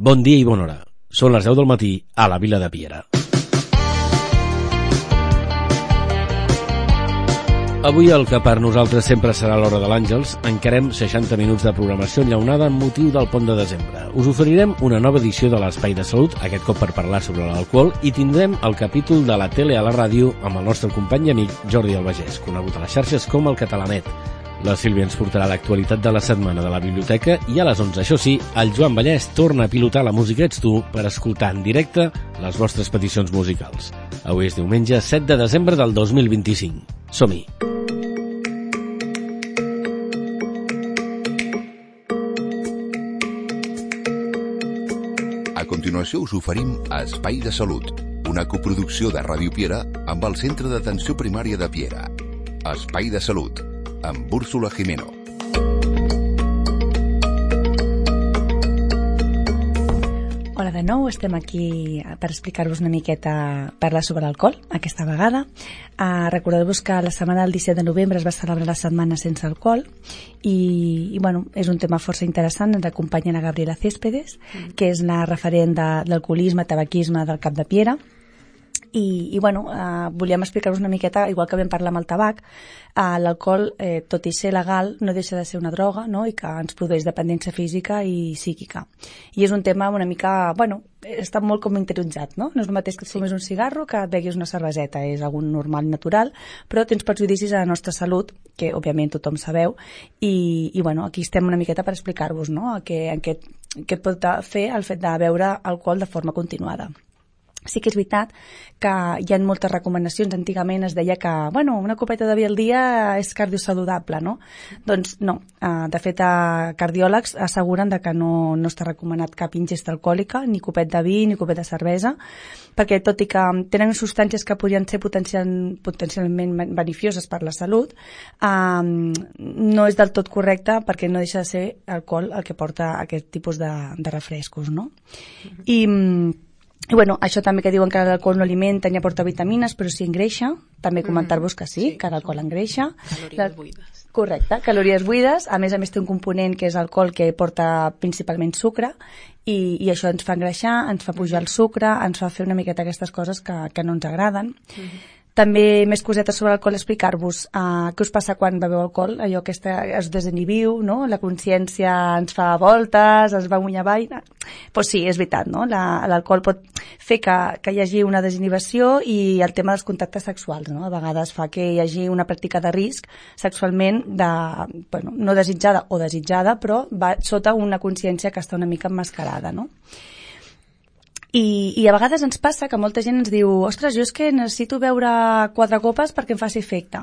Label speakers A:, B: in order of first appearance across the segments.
A: Bon dia i bona hora. Són les 10 del matí a la vila de Piera. Avui el que per nosaltres sempre serà l'hora de l'Àngels, encarem 60 minuts de programació enllaunada amb motiu del pont de desembre. Us oferirem una nova edició de l'Espai de Salut, aquest cop per parlar sobre l'alcohol, i tindrem el capítol de la tele a la ràdio amb el nostre company i amic Jordi Albagés, conegut a les xarxes com el Catalanet. La Sílvia ens portarà l'actualitat de la setmana de la biblioteca i a les 11, això sí, el Joan Vallès torna a pilotar la música Ets tu per escoltar en directe les vostres peticions musicals. Avui és diumenge 7 de desembre del 2025. Som-hi!
B: A continuació us oferim Espai de Salut, una coproducció de Ràdio Piera amb el Centre d'Atenció Primària de Piera. Espai de Salut, amb Úrsula Jimeno.
C: Hola de nou, estem aquí per explicar-vos una miqueta parlar sobre l'alcohol, aquesta vegada. Recordeu-vos que la setmana del 17 de novembre es va celebrar la setmana sense alcohol i bueno, és un tema força interessant. Ens acompanya la Gabriela Céspedes, que és la referent d'alcoholisme, tabaquisme del Cap de Piera. I bueno, volíem explicar-vos una miqueta, igual que vam parlar amb el tabac, l'alcohol, tot i ser legal, no deixa de ser una droga, no? I que ens produeix dependència física i psíquica. I és un tema una mica, bueno, està molt com interioritzat, no? No és el mateix que et fumis un cigarro que et beguis una cerveseta, és algun normal i natural, però tens perjudicis a la nostra salut, que òbviament tothom sabeu, i bueno, aquí estem una miqueta per explicar-vos, no? Què et pot fer el fet de beure alcohol de forma continuada. Sí que és veritat que hi ha moltes recomanacions. Antigament es deia que, bueno, una copeta de vi al dia és cardiosaludable, no? Doncs no. De fet, cardiòlegs asseguren que no està recomanat cap ingesta alcohòlica, ni copet de vi, ni copet de cervesa, perquè tot i que tenen substàncies que podrien ser potencialment beneficioses per la salut, no és del tot correcte perquè no deixa de ser alcohol el que porta aquest tipus de refrescos, no? I bueno, això també que diuen que l'alcohol no alimenta ni aporta vitamines, però sí engreixa. També comentar-vos que sí, que l'alcohol engreixa.
D: Calories buides.
C: Correcte, calories buides. A més té un component que és alcohol que porta principalment sucre i això ens fa engreixar, ens fa pujar el sucre, ens fa fer una miqueta aquestes coses que no ens agraden. També més cosetes sobre l'alcohol, explicar-vos què us passa quan beveu alcohol, allò que es desinhibiu, no? La consciència ens fa voltes, es va amunt i avall. Pues sí, és veritat, no? L'alcohol pot fer que hi hagi una desinhibició i el tema dels contactes sexuals, no? A vegades fa que hi hagi una pràctica de risc sexualment no desitjada o desitjada, però va sota una consciència que està una mica emmascarada, no? I a vegades ens passa que molta gent ens diu ostres, jo és que necessito beure 4 copes perquè em faci efecte.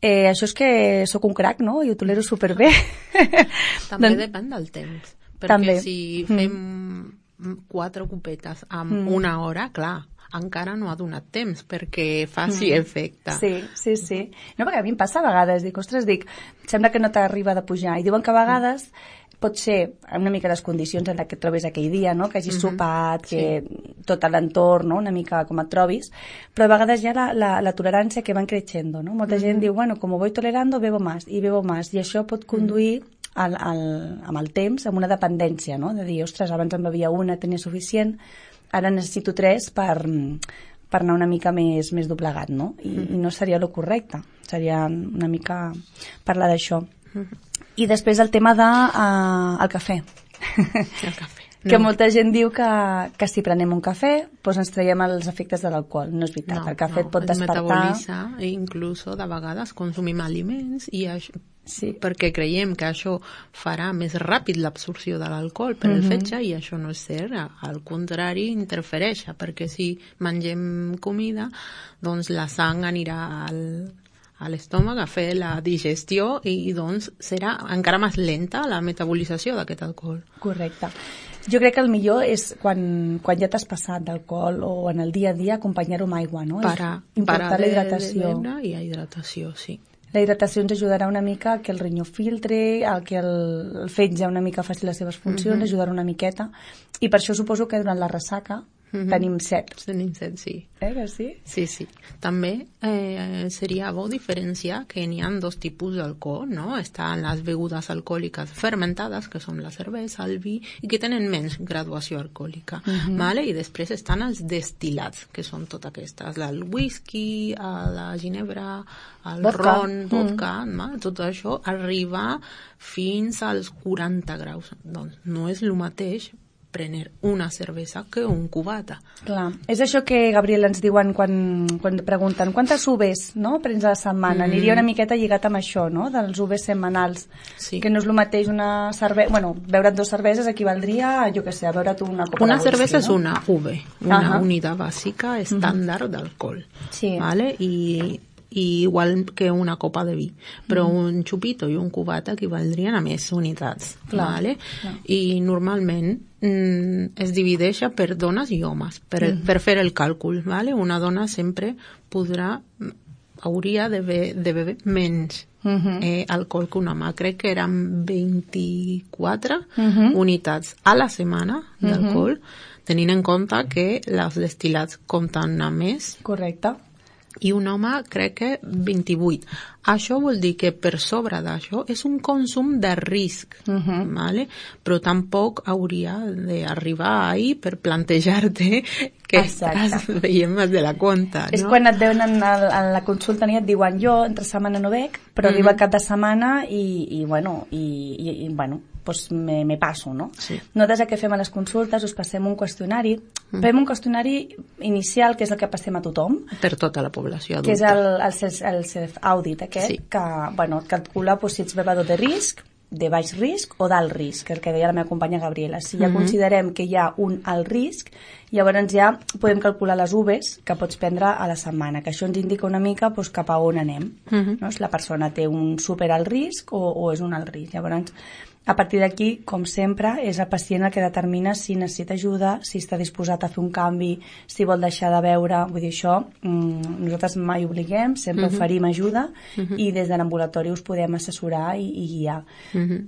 C: Això és que sóc un crac, no? I ho tolero superbé.
D: També depèn del temps. Perquè si fem 4 copetes en una hora, clar, encara no ha donat temps perquè faci efecte.
C: Sí. No, perquè a mi em passa a vegades, sembla que no t'arriba de pujar. I diuen que a vegades pot ser una mica les condicions en què et trobes aquell dia, no? Que hagis sopat, que tot l'entorn, no? Una mica com et trobis, però a vegades hi ha la tolerància que van creixendo, no? Molta gent diu, bueno, como voy tolerando, bebo más, i això pot conduir amb el temps a una dependència, no? De dir, ostres, abans en bevia una, tenia suficient, ara necessito 3 per anar una mica més doblegat, no? I no seria lo correcte, seria una mica parlar d'això. I després el tema del cafè.
D: El cafè.
C: Que molta gent diu que si prenem un cafè doncs ens traiem els efectes de l'alcohol. No és veritat, el cafè et pot despertar.
D: Metabolitza, inclús de vegades consumim aliments i això, perquè creiem que això farà més ràpid l'absorció de l'alcohol per el fetge i això no és cert, al contrari interfereix, perquè si mengem comida doncs la sang anirà a l'estómac a fer la digestió i doncs serà encara més lenta la metabolització d'aquest alcohol.
C: Correcte. Jo crec que el millor és quan ja t'has passat d'alcohol o en el dia a dia acompanyar-ho amb aigua, no?
D: Parar
C: la hidratació.
D: De beure i a hidratació, sí.
C: La hidratació ens ajudarà una mica que el rinyó filtre, que el fetge una mica faci les seves funcions, ajudarà una miqueta. I per això suposo que durant la ressaca tenim 7.
D: Tenim 7, sí.
C: Que sí?
D: Sí. També seria bo diferenciar que n'hi ha 2 tipus d'alcohol, no? Estan les begudes alcohòliques fermentades, que són la cervesa, el vi, i que tenen menys graduació alcohòlica. Vale? I després estan els destil·lats, que són totes aquestes, el whisky, la ginebra, el ron, vodka, tot això arriba fins als 40 graus. Doncs no és el mateix prendre una cervesa que un cubata.
C: Clar, és això que, Gabriel, ens diuen quan pregunten quantes UVs, no?, prens a la setmana. Aniria una miqueta lligat amb això, no?, dels UVs setmanals. Sí. Que no és el mateix una cervesa... Bueno, beure't 2 cerveses equivaldria, jo què sé, a beure't una copa
D: una
C: de whisky,
D: cervesa
C: no?
D: és una UV, una unitat bàsica estàndard d'alcohol. Sí. ¿Vale? I igual que una copa de vi, però un xupito i un cubata equivaldrien a més unitats. ¿Vale? I normalment es divideix per dones i homes per fer el càlcul. ¿Vale? Una dona sempre hauria de beber menys alcohol que un home. Crec que eren 24 unitats a la setmana d'alcohol, tenint en compte que els destil·lats compten a més.
C: Correcte.
D: I un home crec que 28. Això vol dir que per sobre d'això és un consum de risc, ¿vale? Però tampoc hauria d'arribar ahí per plantejar-te que estàs veient més de la compte, no?
C: És quan et veuen en la consulta i et diuen jo entre setmana no bec, però arriba cap de setmana i bueno, pues me passo, no? Sí. Nosaltres el que fem a les consultes, us passem un qüestionari. Fem un qüestionari inicial, que és el que passem a tothom.
D: Per tota la població adulta.
C: Que és el self-audit aquest, que calcula si ets bevedor de risc, de baix risc o d'alt risc, el que deia la meva companya Gabriela. Si ja considerem que hi ha un alt risc, llavors ja podem calcular les UVs que pots prendre a la setmana, que això ens indica una mica cap a on anem. No? Si la persona té un super alt risc o és un alt risc. Llavors, a partir d'aquí, com sempre, és el pacient el que determina si necessita ajuda, si està disposat a fer un canvi, si vol deixar de beure. Vull dir, això nosaltres mai obliguem, sempre oferim ajuda i des de l'ambulatori us podem assessorar i guiar.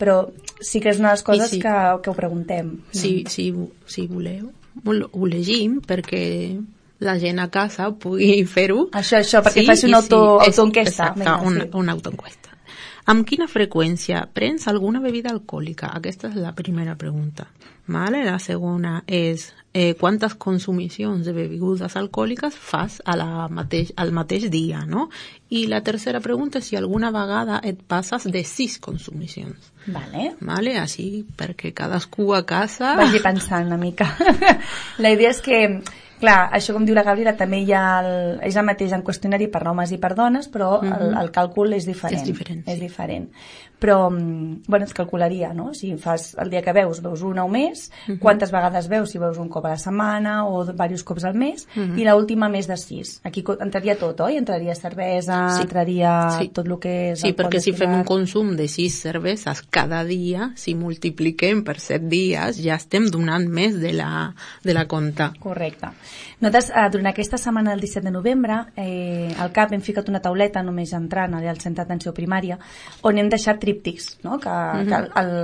C: Però sí que és una de les coses que ho preguntem.
D: Si voleu, ho llegim perquè la gent a casa pugui fer-ho.
C: Això, perquè faci una autoenquesta.
D: Exacte, una autoenquesta. Amb quina freqüència prens alguna bebida alcohòlica? Aquesta és la primera pregunta. Vale? La segona és quantes consumicions de begudes alcohòliques fas al mateix dia, no? I la tercera pregunta és si alguna vegada et passes de 6 consumicions. Vale? Així, perquè cadascú a casa...
C: Vagi pensant una mica. La idea és que... Clar, això com diu la Gabriela també hi ha és el mateix en qüestionari per homes i per dones, però el càlcul és diferent. És diferent. Però, bueno, es calcularia, no? Si fas el dia que veus una o més, quantes vegades veus, si veus un cop a la setmana o diversos cops al mes, i l'última més de 6. Aquí entraria tot, oi? Entraria cervesa, entraria tot el que és...
D: Sí, perquè si fem un consum de 6 cerveses cada dia, si multipliquem per 7 dies, ja estem donant més de la compta.
C: Correcte. Nosaltres, durant aquesta setmana del 17 de novembre, al CAP hem ficat una tauleta, només entrant al centre d'atenció primària, on hem deixat tríptics, no?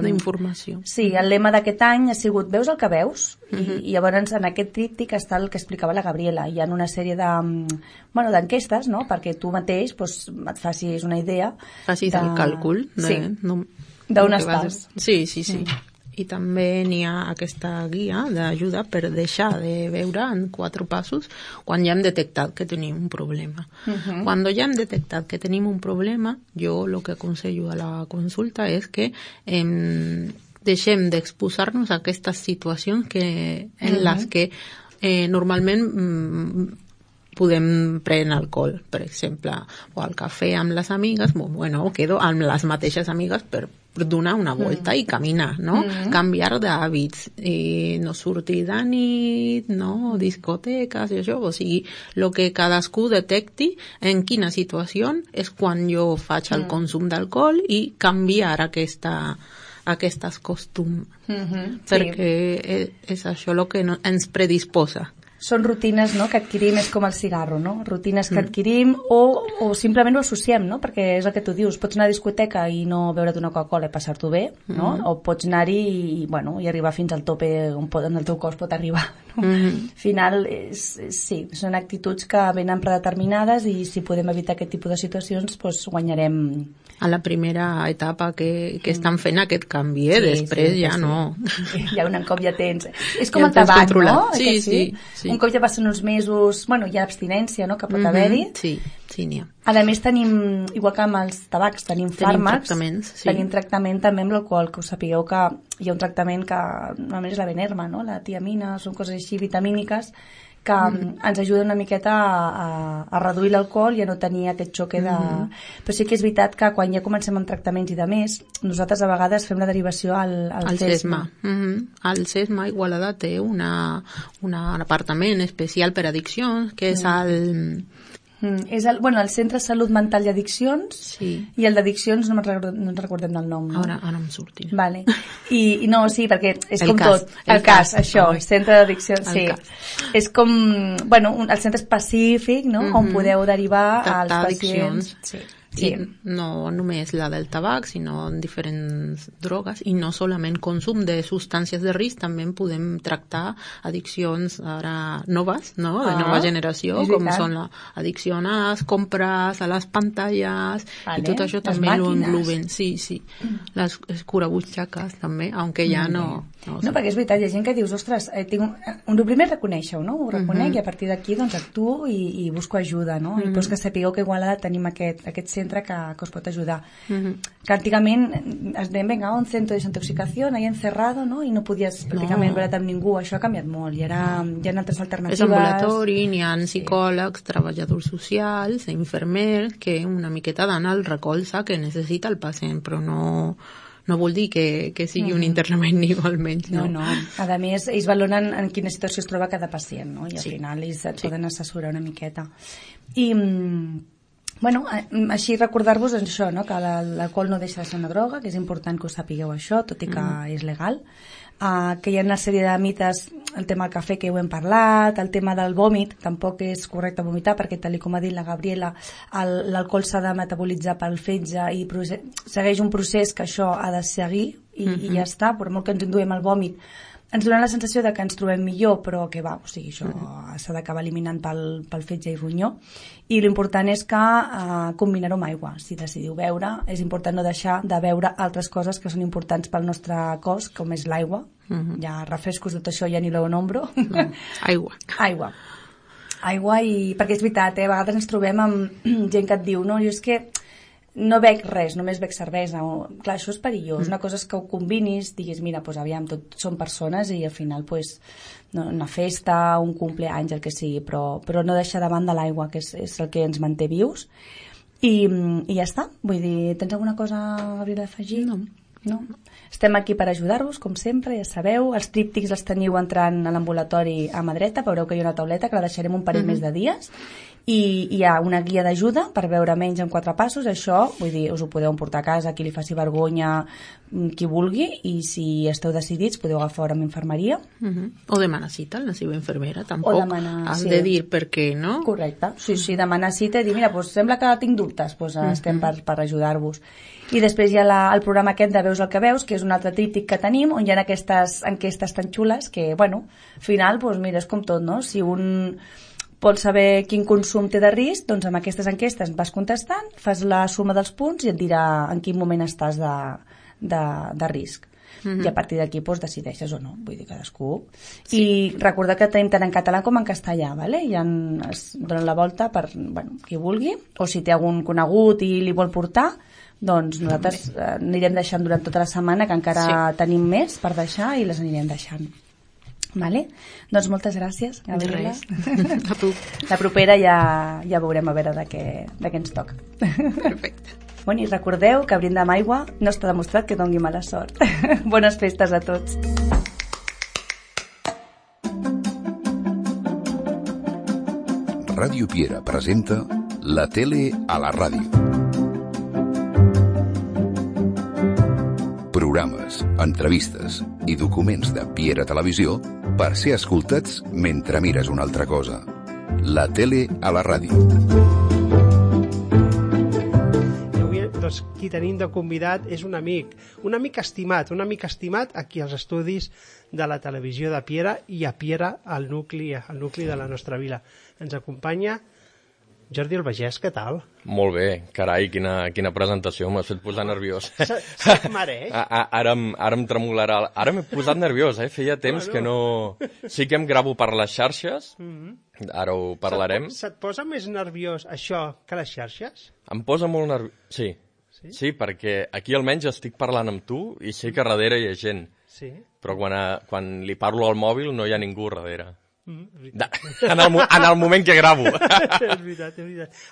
D: D'informació.
C: Sí, el lema d'aquest any ha sigut veus el que veus, i llavors en aquest tríptic està el que explicava la Gabriela. Hi ha una sèrie d'enquestes, no? Perquè tu mateix et facis una idea.
D: Facis el càlcul
C: d'on estàs.
D: Sí. I també n'hi ha aquesta guia d'ajuda per deixar de beure en 4 passos quan ja hem detectat que tenim un problema. Quan ja hem detectat que tenim un problema, jo el que aconsello a la consulta és que deixem d'exposar-nos a aquestes situacions en les que normalment podem prendre alcohol, per exemple, o al cafè amb les amigues, quedo amb les mateixes amigues per donar una volta i caminar, no? Canviar d'hàbits, no sortir de nit, no? Discoteques i això, o sigui, el que cadascú detecti en quina situació és quan jo faig el consum d'alcohol i canviar aquestes costums, perquè és això el que ens predisposa
C: són rutines, no?, que adquirim, és com el cigarro, no? Rutines que adquirim o simplement ho associem, no? Perquè és el que tu dius, pots anar a discoteca i no beure't una Coca-Cola i passar-t'ho bé, no? O pots anar-hi i arribar fins al tope on el teu cos pot arribar, no? Al final, sí, són actituds que venen predeterminades i si podem evitar aquest tipus de situacions, doncs guanyarem.
D: A la primera etapa que estan fent aquest canvi, després ja no.
C: Ja un cop ja tens... És com el tabac, no?
D: Sí.
C: Un cop ja passen uns mesos, bueno, hi ha abstinència, no?, que pot haver-hi.
D: Sí, n'hi ha.
C: A més tenim, igual que amb els tabacs, tenim fàrmacs, tenim tractament també amb l'alcohol, que us sapigueu que hi ha un tractament que normalment és la Benerma, no?, la tiamina, són coses així vitamíniques, que ens ajuda una miqueta a reduir l'alcohol i a no tenir aquest xoque de... Però sí que és veritat que quan ja comencem amb tractaments i de més, nosaltres a vegades fem la derivació al CESMA.
D: El CESMA Igualada té un apartament especial per addiccions, que és
C: és el Centre de Salut Mental i Addiccions, i el d'addiccions no ens recordem del nom, no?
D: Ara em surti.
C: Vale. I no, sí, perquè és com tot. El cas, això, Centre d'Addiccions, sí. És com, bueno, el centre específic, no?, on podeu derivar als pacients.
D: Sí. No només la del tabac, sinó diferents drogues, i no solament consum de substàncies de risc, també podem tractar addiccions ara noves, no?, de nova generació, com són l'addicció a les compres, a les pantalles, i tot això també ho engloben. Sí. Les escurabutxaques també, aunque ja no...
C: No, perquè és veritat, hi ha gent que dius, ostres, el primer és reconèixer-ho, no? Ho reconec i a partir d'aquí doncs actuo i busco ajuda, no? I doncs que sapigueu que igual tenim aquest centre que us pot ajudar. Que antigament es deien, venga, un centre de desintoxicació, ahí encerrado, no? I no podies pràcticament veure't amb ningú. Això ha canviat molt i ara hi ha altres alternatives.
D: És ambulatori, n'hi ha psicòlegs, treballadors socials, infermers, que una miqueta dan el recolza que necessita el pacient, però no vol dir que sigui un internament igualment.
C: No. A més, ells valoren en quina situació es troba cada pacient, no? I al final ells et poden assessorar una miqueta. I, bueno, així recordar-vos això, no?, que l'alcohol no deixa de ser una droga, que és important que ho sapigueu això, tot i que és legal. Que hi ha una sèrie de mites, el tema del cafè que ho hem parlat, el tema del vòmit, tampoc és correcte vomitar perquè tal com ha dit la Gabriela, l'alcohol s'ha de metabolitzar pel fetge i segueix un procés que això ha de seguir i ja està, per molt que ens enduem el vòmit ens dona la sensació de que ens trobem millor, però que va, o sigui, això s'ha d'acabar eliminant pel fetge i ronyó. I l'important és que combinar-ho amb aigua. Si decidiu beure, és important no deixar de beure altres coses que són importants pel nostre cos, com és l'aigua. Ja refrescos, tot això ja ni lo nombro. Aigua, i perquè és veritat, a vegades ens trobem amb gent que et diu, no, jo és que no bec res, només bec cervesa. Clar, això és perillós. Una cosa és que ho combinis, diguis, mira, doncs aviam, tot són persones i al final, una festa, un cumpleaños, el que sigui, però no deixar de banda l'aigua, que és el que ens manté vius. I ja està. Vull dir, tens alguna cosa, Gabriela, d'afegir? No? Estem aquí per ajudar-vos, com sempre, ja sabeu. Els tríptics els teniu entrant a l'ambulatori a mà dreta, veureu que hi ha una tauleta que la deixarem un parell més de dies. I hi ha una guia d'ajuda per veure menys en 4 passos. Això, vull dir, us ho podeu emportar a casa, qui li faci vergonya, qui vulgui, i si esteu decidits podeu agafar hora amb infermeria.
D: O demanar cita a la seva infermera, tampoc has de dir per què, no?
C: Correcte, sí, demanar cita i dir, mira, sembla que tinc dubtes, estem per ajudar-vos. I després hi ha el programa aquest de Veus el que veus, que és un altre tríptic que tenim, on hi ha aquestes enquestes tan xules que, bueno, al final, mira, és com tot, no? Si un vol saber quin consum té de risc, doncs amb aquestes enquestes vas contestant, fas la suma dels punts i et dirà en quin moment estàs de risc. I a partir d'aquí decideixes o no, vull dir, cadascú. I recordar que tenim tant en català com en castellà, ¿vale? Ja es donen la volta per, qui vulgui, o si té algun conegut i li vol portar, doncs nosaltres anirem deixant durant tota la setmana, que encara tenim més per deixar i les anirem deixant. Vale? Doncs moltes gràcies, Gabriela.
D: A tu.
C: La propera ja veurem a veure de què ens toca.
D: Perfecte.
C: Bueno, i recordeu que brindar amb aigua no està demostrat que doni mala sort. Bones festes a tots.
B: Ràdio Piera presenta La tele a la ràdio. Programes, entrevistes i documents de Piera Televisió per ser escoltats mentre mires una altra cosa. La tele a la ràdio.
E: I avui, doncs, qui tenim de convidat és un amic estimat aquí als estudis de la televisió de Piera i a Piera, al nucli de la nostra vila. Ens acompanya Jordi Albagés, què tal?
F: Molt bé, carai, quina presentació, m'has fet posar nerviós.
E: Se't mereix?
F: Ara em tremolarà, ara m'he posat nerviós, feia temps que no... Sí que em gravo per les xarxes, ara ho parlarem.
E: Se't posa més nerviós això que les xarxes?
F: Em posa molt nerviós, sí, perquè aquí almenys estic parlant amb tu i sé que darrere hi ha gent, però quan li parlo al mòbil no hi ha ningú darrere. En el moment que gravo.
E: És veritat.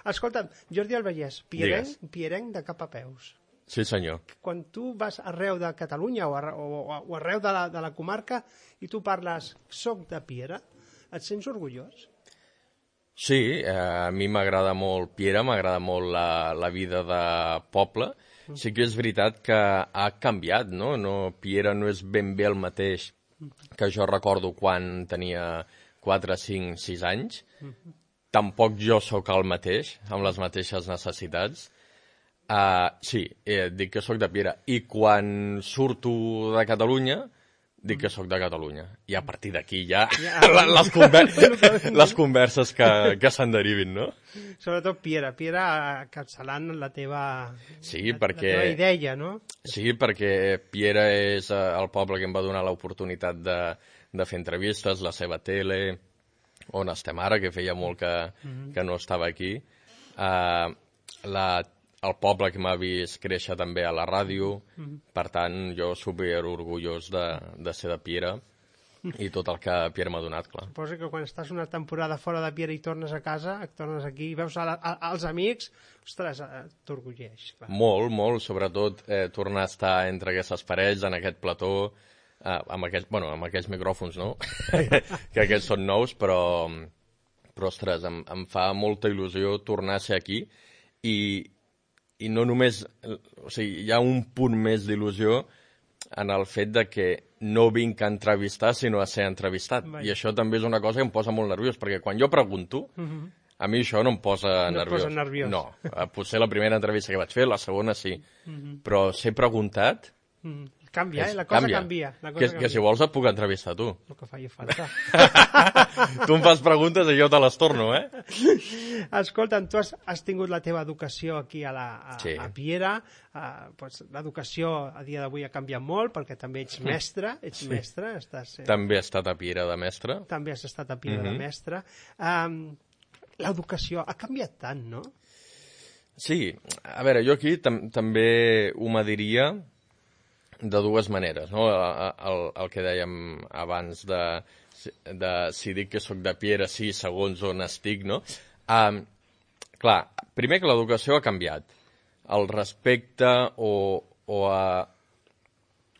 E: Escolta'm, Jordi Albagés, pierenc de cap a peus.
F: Sí, senyor.
E: Quan tu vas arreu de Catalunya o arreu de la comarca i tu parles soc de Piera, et sents orgullós?
F: Sí, a mi m'agrada molt Piera, m'agrada molt la vida de poble. Sí que és veritat que ha canviat, no? Piera no és ben bé el mateix que jo recordo quan tenia 4, 5, 6 anys. Tampoc jo sóc el mateix, amb les mateixes necessitats. Sí, dic que sóc de Piera. I quan surto de Catalunya, dic que sóc de Catalunya. I a partir d'aquí ja les converses que se'n derivin, no?
E: Sobretot Piera encapçalant la teva idea, no?
F: Sí, perquè Piera és el poble que em va donar l'oportunitat de fer entrevistes, la seva tele, on estem ara, que feia molt que no estava aquí. El poble que m'ha vist créixer també a la ràdio, per tant, jo super orgullós de ser de Piera i tot el que Piera m'ha donat, clar.
E: Suposo que quan estàs una temporada fora de Piera i tornes a casa, tornes aquí i veus els amics, ostres, t'orgulleix, clar.
F: Molt, sobretot tornar a estar entre aquestes parets, en aquest plató, amb aquests micròfons, no? que aquests són nous, però ostres, em fa molta il·lusió tornar a ser aquí i no només, o sigui, hi ha un punt més d'il·lusió en el fet de que no vinc a entrevistar, sinó a ser entrevistat. I això també és una cosa que em posa molt nerviós, perquè quan jo pregunto, a mi això no em posa nerviós. No, potser la primera entrevista que vaig fer, la segona sí, però ser preguntat...
E: Canvia, la cosa canvia.
F: Que si vols et puc entrevistar tu.
E: El que faci falta.
F: Tu em fas preguntes i jo te les torno,
E: Escolta'm, tu has tingut la teva educació aquí a Piera. L'educació a dia d'avui ha canviat molt perquè també ets mestre.
F: També he estat a Piera de mestre.
E: També has estat a Piera de mestre. L'educació ha canviat tant, no?
F: Sí, a veure, jo aquí també ho mediria de dues maneres, no? El que dèiem abans de si dic que sóc de Piera, sí, segons on estic, no? Clar, primer que l'educació ha canviat. El respecte o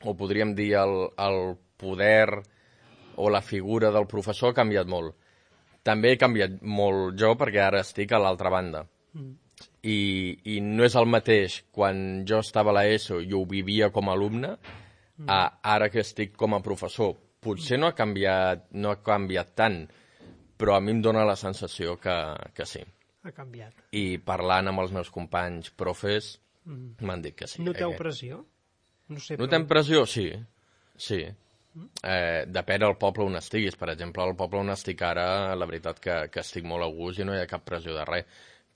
F: podríem dir el poder o la figura del professor ha canviat molt. També he canviat molt jo perquè ara estic a l'altra banda. I no és el mateix quan jo estava a l'ESO i ho vivia com a alumne ara que estic com a professor. Potser no ha canviat tant, però a mi em dóna la sensació que sí.
E: Ha canviat.
F: I parlant amb els meus companys profes m'han dit que sí.
E: Noteu pressió?
F: Notem pressió? Sí. Depèn del poble on estiguis. Per exemple, al poble on estic ara, la veritat que estic molt a gust i no hi ha cap pressió de res.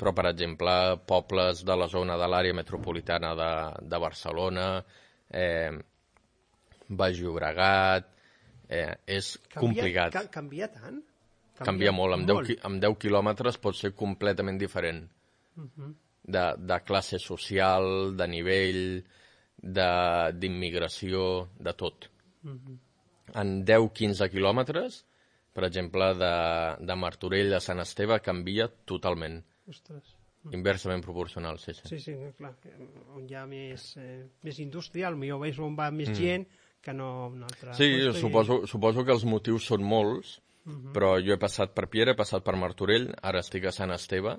F: Però, per exemple, pobles de la zona de l'àrea metropolitana de Barcelona, Baix Llobregat, és complicat.
E: Canvia tant?
F: Canvia molt. Amb 10 quilòmetres pot ser completament diferent. De classe social, de nivell, d'immigració, de tot. En 10-15 quilòmetres, per exemple, de Martorell a Sant Esteve, canvia totalment.
E: Ostres.
F: Inversament proporcional, sí.
E: Sí, clar. On hi ha més indústria, potser on va més gent que no un altre.
F: Sí, suposo que els motius són molts, però jo he passat per Piera, he passat per Martorell, ara estic a Sant Esteve,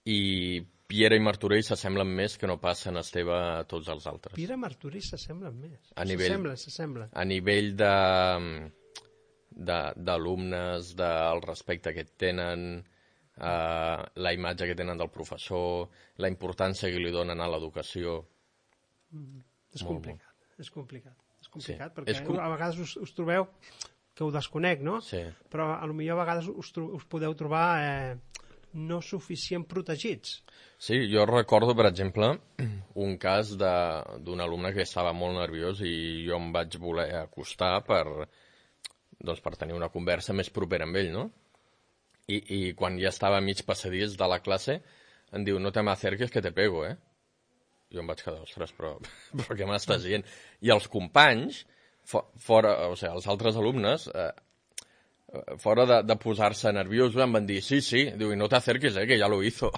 F: i Piera i Martorell s'assemblen més que no pas Sant Esteve a tots els altres.
E: Piera i Martorell s'assemblen més.
F: S'assemblen.
E: S'assemblen.
F: A nivell d'alumnes, del respecte que tenen, la imatge que tenen del professor, la importància que li donen a l'educació.
E: És complicat, perquè a vegades us trobeu que ho desconec, no?
F: Sí.
E: Però potser a vegades us podeu trobar no suficient protegits.
F: Sí, jo recordo, per exemple, un cas d'un alumne que estava molt nerviós i jo em vaig voler acostar per tenir una conversa més propera amb ell, no? I quan ja estava mig passadís de la classe, em diu, no te m'acerques que te pego, eh? Jo em vaig quedar, ostres, però què m'estàs dient? I els companys, els altres alumnes, fora de posar-se nerviosos, em van dir, sí, diu, i no te acerques, que ja lo hizo.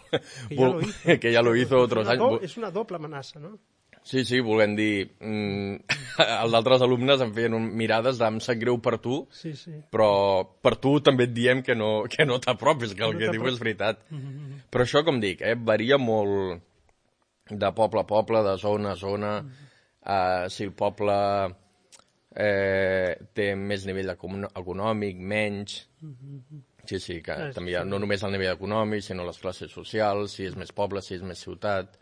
F: Que ja lo hizo otros anys.
E: És una doble amenaça, no?
F: Sí, volent dir... Els altres alumnes em feien mirades de em sap greu per tu, però per tu també et diem que no t'apropis, que el que diu és veritat. Però això, com dic, varia molt de poble a poble, de zona a zona. Si el poble té més nivell econòmic, menys... Sí, que també hi ha no només el nivell econòmic, sinó les classes socials, si és més poble, si és més ciutat...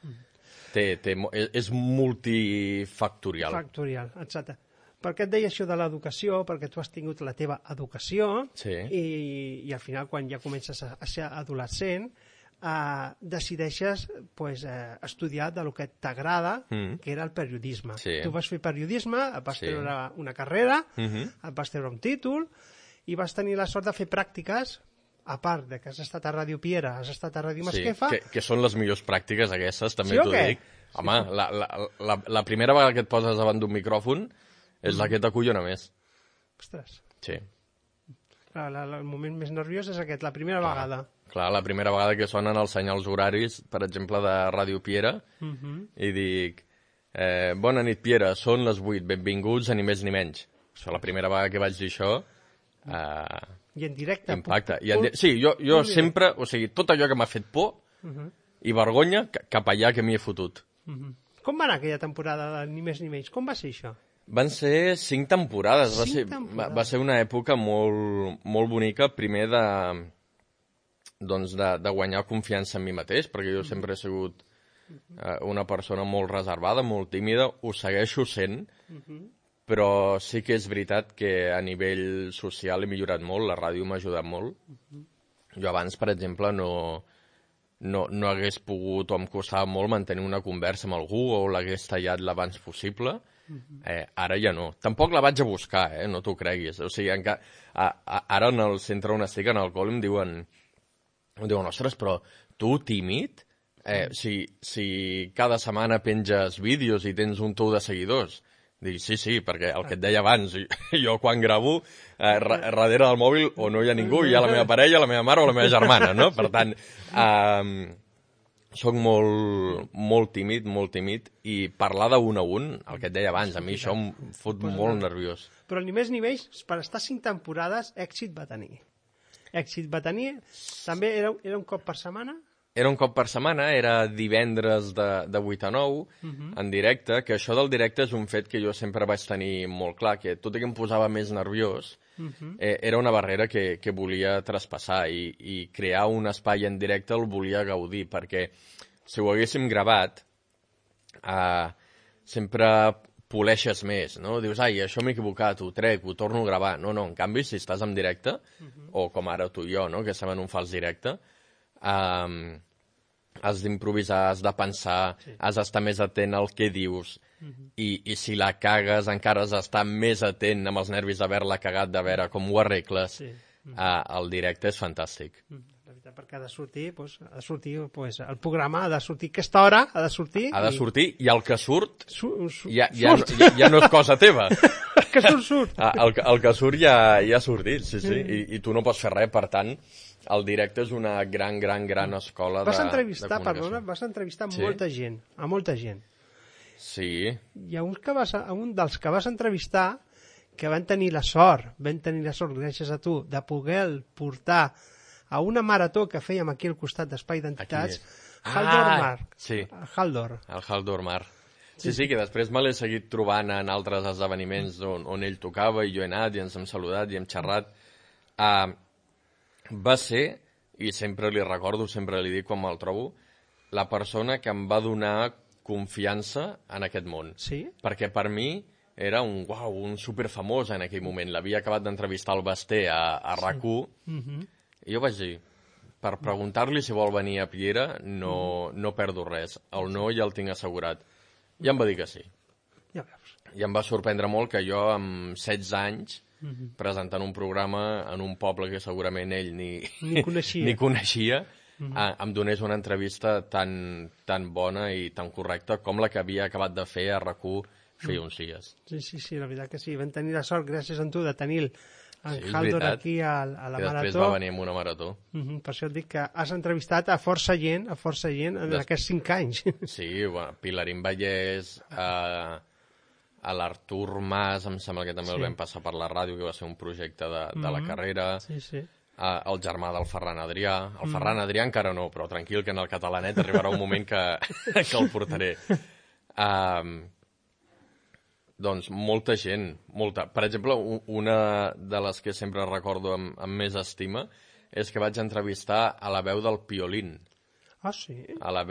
F: És multifactorial.
E: Factorial, exacte. Per què et deia això de l'educació? Perquè tu has tingut la teva educació i al final, quan ja comences a ser adolescent, decideixes estudiar del que t'agrada, que era el periodisme. Tu vas fer periodisme, et vas treure una carrera, et vas treure un títol i vas tenir la sort de fer pràctiques, a part de que has estat a Ràdio Piera, has estat a Ràdio Masquefa...
F: Que són les millors pràctiques aquestes, també t'ho dic. Home, la primera vegada que et poses davant d'un micròfon és la que t'acollona més.
E: Ostres.
F: Sí.
E: El moment més nerviós és aquest, la primera vegada.
F: Clar, la primera vegada que sonen els senyals horaris, per exemple, de Ràdio Piera, i dic, bona nit, Piera, són les 8, benvinguts a ni més ni menys. La primera vegada que vaig dir això...
E: I en directe.
F: Impacte. Sí, jo sempre, o sigui, tot allò que m'ha fet por i vergonya, cap allà que m'hi he fotut.
E: Com va anar aquella temporada de Ni més ni menys? Com va ser això?
F: Van ser 5 temporades. Va ser una època molt bonica, primer de guanyar confiança en mi mateix, perquè jo sempre he sigut una persona molt reservada, molt tímida, ho segueixo sent, però sí que és veritat que a nivell social he millorat molt, la ràdio m'ha ajudat molt. Jo abans, per exemple, no hagués pogut, o em costava molt mantenir una conversa amb algú, o l'hagués tallat l'abans possible. Ara ja no. Tampoc la vaig a buscar, no t'ho creguis. O sigui, ara en el centre on estic, en el col, em diuen, ostres, però tu, tímid, si cada setmana penges vídeos i tens un tou de seguidors... Dic, sí, perquè el que et deia abans, jo quan gravo, darrere del mòbil o no hi ha ningú, hi ha la meva parella, la meva mare o la meva germana, no? Per tant, soc molt tímid, i parlar d'un a un, el que et deia abans, a mi això em fot molt nerviós.
E: Però ni més ni menys, per estar 5 temporades, èxit va tenir. També era un cop per setmana?
F: Era un cop per setmana, era divendres de 8 a 9, en directe, que això del directe és un fet que jo sempre vaig tenir molt clar, que tot i que em posava més nerviós, era una barrera que volia traspassar, i crear un espai en directe el volia gaudir, perquè si ho haguéssim gravat, sempre poleixes més, no? Dius, això m'he equivocat, ho trec, ho torno a gravar. No, en canvi, si estàs en directe, o com ara tu i jo, no?, que estem en un fals directe, has d'improvisar, has de pensar, has d'estar més atent al que dius, i si la cagues encara has d'estar més atent amb els nervis d'haver-la cagat, de veure com ho arregles. El directe és fantàstic.
E: La veritat, perquè ha de sortir, el programa ha de sortir aquesta hora, ha de sortir...
F: Ha de sortir, i el que surt ja no és cosa teva.
E: El que surt.
F: El que surt ja ha sortit, sí, i tu no pots fer res, per tant... El directe és una gran escola de comunicació.
E: Vas entrevistar molta gent, a molta gent.
F: Sí.
E: Hi ha un dels que vas entrevistar que van tenir la sort, gràcies a tu, de poder portar a una marató que fèiem aquí al costat d'Espai d'Entitats, Haldor Mar.
F: Sí.
E: Haldor.
F: El Haldor Mar. Sí, que després me l'he seguit trobant en altres esdeveniments on ell tocava i jo he anat i ens hem saludat i hem xerrat. Va ser, i sempre li recordo, sempre li dic quan me'l trobo, la persona que em va donar confiança en aquest món.
E: Sí?
F: Perquè per mi era un superfamós en aquell moment. L'havia acabat d'entrevistar al Basté a RAC1 i jo vaig dir, per preguntar-li si vol venir a Piera no perdo res. El no ja el tinc assegurat. I em va dir que sí.
E: Ja veus.
F: I em va sorprendre molt que jo, amb 16 anys, presentant un programa en un poble que segurament ell ni coneixia, em donés una entrevista tan bona i tan correcta com la que havia acabat de fer a RAC1 feia uns dies.
E: Sí, la veritat que sí. Vam tenir la sort, gràcies a tu, de tenir en Haldor aquí a la Marató.
F: Que després va venir amb una marató.
E: Per això et dic que has entrevistat a força gent en aquests 5 anys.
F: Sí, Pilarín Vallès, a l'Artur Mas, em sembla que també el vam passar per la ràdio, que va ser un projecte de la carrera.
E: Sí.
F: El germà del Ferran Adrià. El Ferran Adrià encara no, però tranquil, que en el catalanet arribarà un moment que el portaré. Doncs molta gent, molta. Per exemple, una de les que sempre recordo amb més estima és que vaig entrevistar a la veu del Piolín.
E: Ah, sí?
F: A la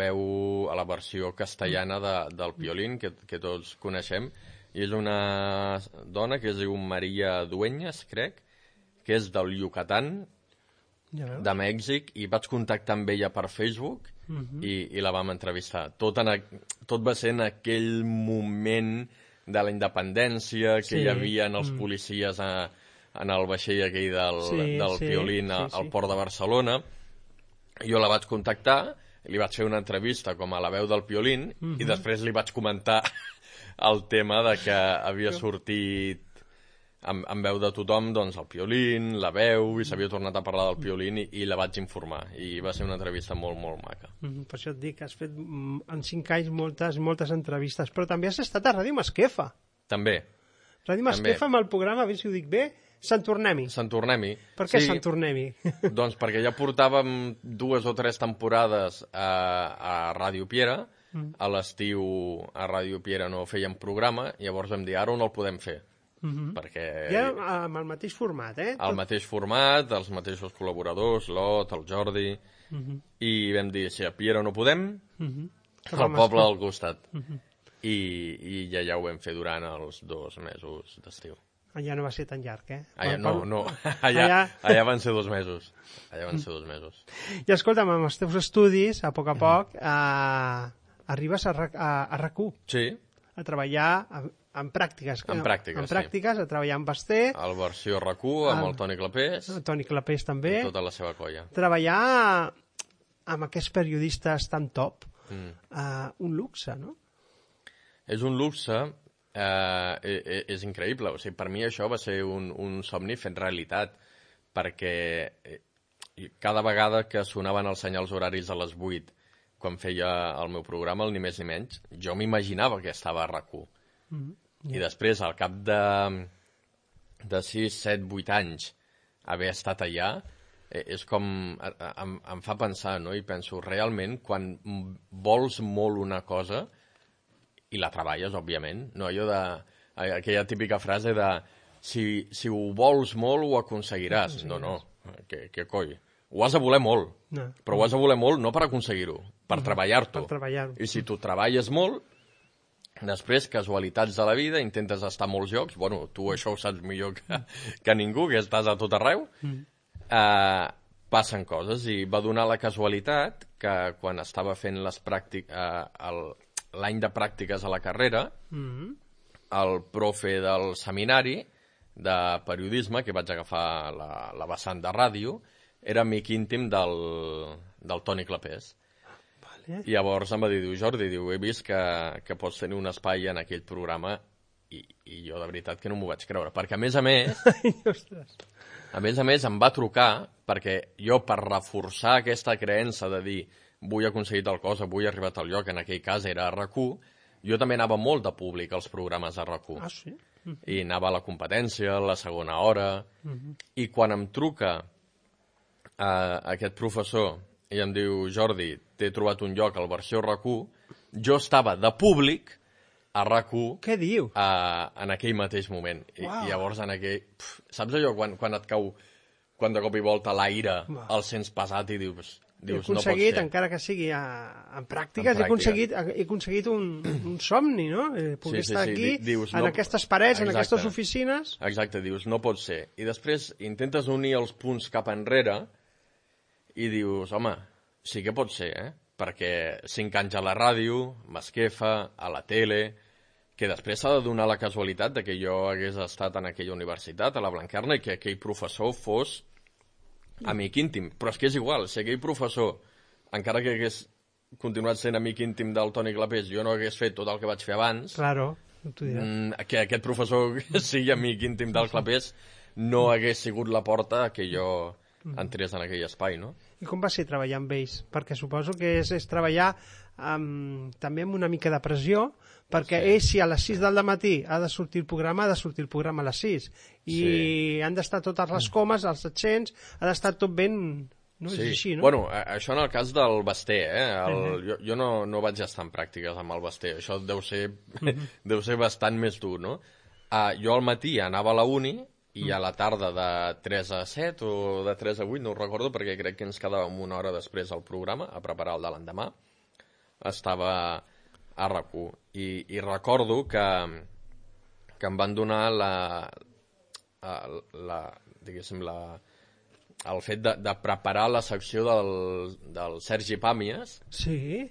F: versió castellana del Piolín, que tots coneixem. I és una dona que es diu Maria Dueñas, crec, que és del Yucatán, de Mèxic, i vaig contactar amb ella per Facebook i la vam entrevistar. Tot va ser en aquell moment de la independència que hi havia els policies en el vaixell aquell del Piolín al port de Barcelona. Jo la vaig contactar, li vaig fer una entrevista com a la veu del Piolín i després li vaig comentar el tema de que havia sortit en veu de tothom, doncs, el Piolín, la veu, i s'havia tornat a parlar del Piolín i la vaig informar. I va ser una entrevista molt, molt maca.
E: Per això et dic que has fet en 5 anys moltes entrevistes, però també has estat a Ràdio Masquefa.
F: També.
E: Ràdio Masquefa amb el programa, a veure si ho dic bé, Sant Tornem-hi.
F: Sant Tornem-hi.
E: Per què Sant Tornem-hi?
F: Doncs perquè ja portàvem 2 o 3 temporades a Ràdio Piera, a l'estiu a Ràdio Piera no fèiem programa, llavors vam dir, ara on el podem fer? Perquè...
E: Ja amb el mateix format,
F: El mateix format, els mateixos col·laboradors, l'Ot, el Jordi, i vam dir, si a Piera no podem, al poble del costat. I ja ho vam fer durant els 2 mesos d'estiu.
E: Allà no va ser tan llarg,
F: No. Allà van ser 2 mesos. I
E: escolta'm, amb els teus estudis, a poc, arribes a RAC1.
F: Sí.
E: A treballar en pràctiques.
F: En pràctiques,
E: a treballar amb Basté.
F: El versió RAC1, amb el Toni Clapés.
E: El Toni Clapés també.
F: I tota la seva colla.
E: Treballar amb aquests periodistes tan top, un luxe, no?
F: És un luxe, és increïble. O sigui, per mi això va ser un somni fet realitat, perquè cada vegada que sonaven els senyals horaris a les 8, quan feia el meu programa, el Ni més ni menys, jo m'imaginava que estava a RAC1. I després, al cap de 6, 7, 8 anys, haver estat allà, és com... em fa pensar, no? I penso, realment, quan vols molt una cosa, i la treballes, òbviament, no? Allò de... aquella típica frase de si ho vols molt, ho aconseguiràs. No, què coi? Ho has de voler molt, però ho has de voler molt no per aconseguir-ho, per treballar-t'ho. I si tu treballes molt, després, casualitats de la vida, intentes estar a molts llocs, bueno, tu això ho saps millor que ningú, que estàs a tot arreu, passen coses, i va donar la casualitat que quan estava fent l'any de pràctiques a la carrera, el profe del seminari de periodisme, que vaig agafar la vessant de ràdio, era amic íntim del Toni Clapés. I llavors em va dir, Jordi, he vist que pots tenir un espai en aquell programa, i jo de veritat que no m'ho vaig creure, perquè a més a més em va trucar, perquè jo per reforçar aquesta creença de dir vull aconseguir tal cosa, vull arribar a tal lloc, en aquell cas era a RAC1, jo també anava molt de públic als programes de RAC1.
E: Ah, sí?
F: I anava a la competència, a la segona hora, i quan em truca aquest professor i em diu, Jordi, t'he trobat un lloc al versió RAC1, jo estava de públic a RAC1
E: Què diu?
F: En aquell mateix moment. I llavors en aquell... Saps allò quan et cau, quan de cop i volta l'aire el sents pesat i dius
E: he aconseguit, encara que sigui en pràctiques, he aconseguit un somni, no? Poder estar aquí, en aquestes parets, en aquestes oficines...
F: Exacte, dius, no pot ser. I després intentes unir els punts cap enrere i dius, home, sí que pot ser, perquè 5 anys a la ràdio, m'esquefa, a la tele, que després s'ha de donar la casualitat de que jo hagués estat en aquella universitat, a la Blanquerna, i que aquell professor fos amic íntim, però és que és igual, si aquell professor, encara que hagués continuat sent amic íntim del Toni Clapés, jo no hagués fet tot el que vaig fer abans, que aquest professor sigui amic íntim del Clapés no hagués sigut la porta que jo entrés en aquell espai, no?
E: I com va ser treballar amb ells? Perquè suposo que és treballar també amb una mica de pressió, perquè ells, si a les 6 del matí ha de sortir el programa, ha de sortir el programa a les 6. I han d'estar totes les comes, els accents, ha d'estar tot ben... No? És així, no?
F: Bueno, això en el cas del Basté, jo no vaig estar en pràctiques amb el Basté, això deu ser bastant més dur, no? Jo al matí anava a la uni i a la tarda de 3 a 7 o de 3 a 8, no ho recordo, perquè crec que ens quedàvem una hora després al programa a preparar el de l'endemà, estava a RAC1 i recordo que em van donar el fet de preparar la secció del Sergi Pàmies,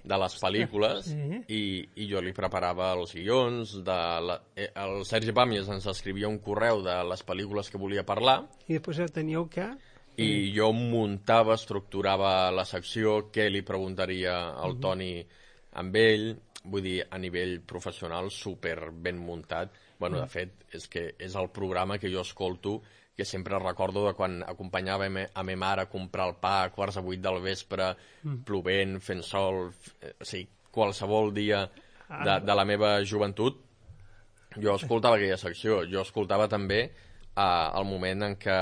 F: de les pel·lícules, i jo li preparava els guions, el Sergi Pàmies ens escrivia un correu de les pel·lícules que volia parlar,
E: i després teníeu que...
F: I jo muntava, estructurava la secció, què li preguntaria al Toni amb ell, vull dir, a nivell professional, super ben muntat. Bueno, de fet, és que és el programa que jo escolto, que sempre recordo de quan acompanyava a ma mare a comprar el pa a 7:15 del vespre, plovent, fent sol, o sigui, qualsevol dia de la meva joventut, jo escoltava aquella secció. Jo escoltava també el moment en què,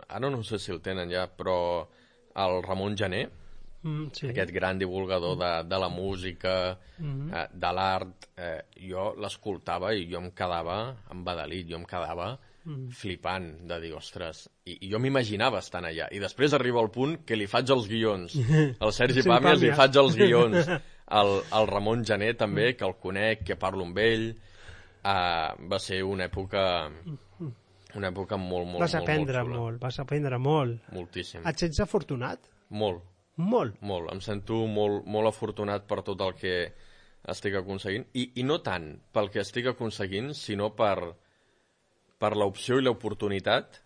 F: ara no sé si el tenen ja, però el Ramon Gené, aquest gran divulgador de la música, de l'art, jo l'escoltava i jo em quedava embadalit, jo em quedava flipant de dir, ostres, i jo m'imaginava estant allà, i després arriba el punt que li faig els guions al Sergi Pàmies, li faig els guions al Ramon Gené també, que el conec, que parlo amb ell. Va ser una època molt
E: vas aprendre molt, vas aprendre molt.
F: Moltíssim.
E: Et sents afortunat?
F: Molt. Em sento molt afortunat per tot el que estic aconseguint, i no tant pel que estic aconseguint, sinó per l'opció i l'oportunitat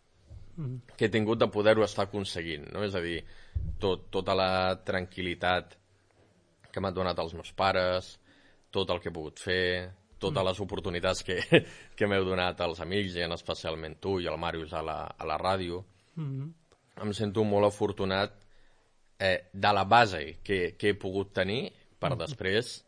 F: que he tingut de poder-ho estar aconseguint, no? És a dir, tota la tranquil·litat que m'han donat els meus pares, tot el que he pogut fer, totes les oportunitats que m'heu donat els amics, i especialment tu i el Màrius a la ràdio. Em sento molt afortunat de la base que he pogut tenir per després,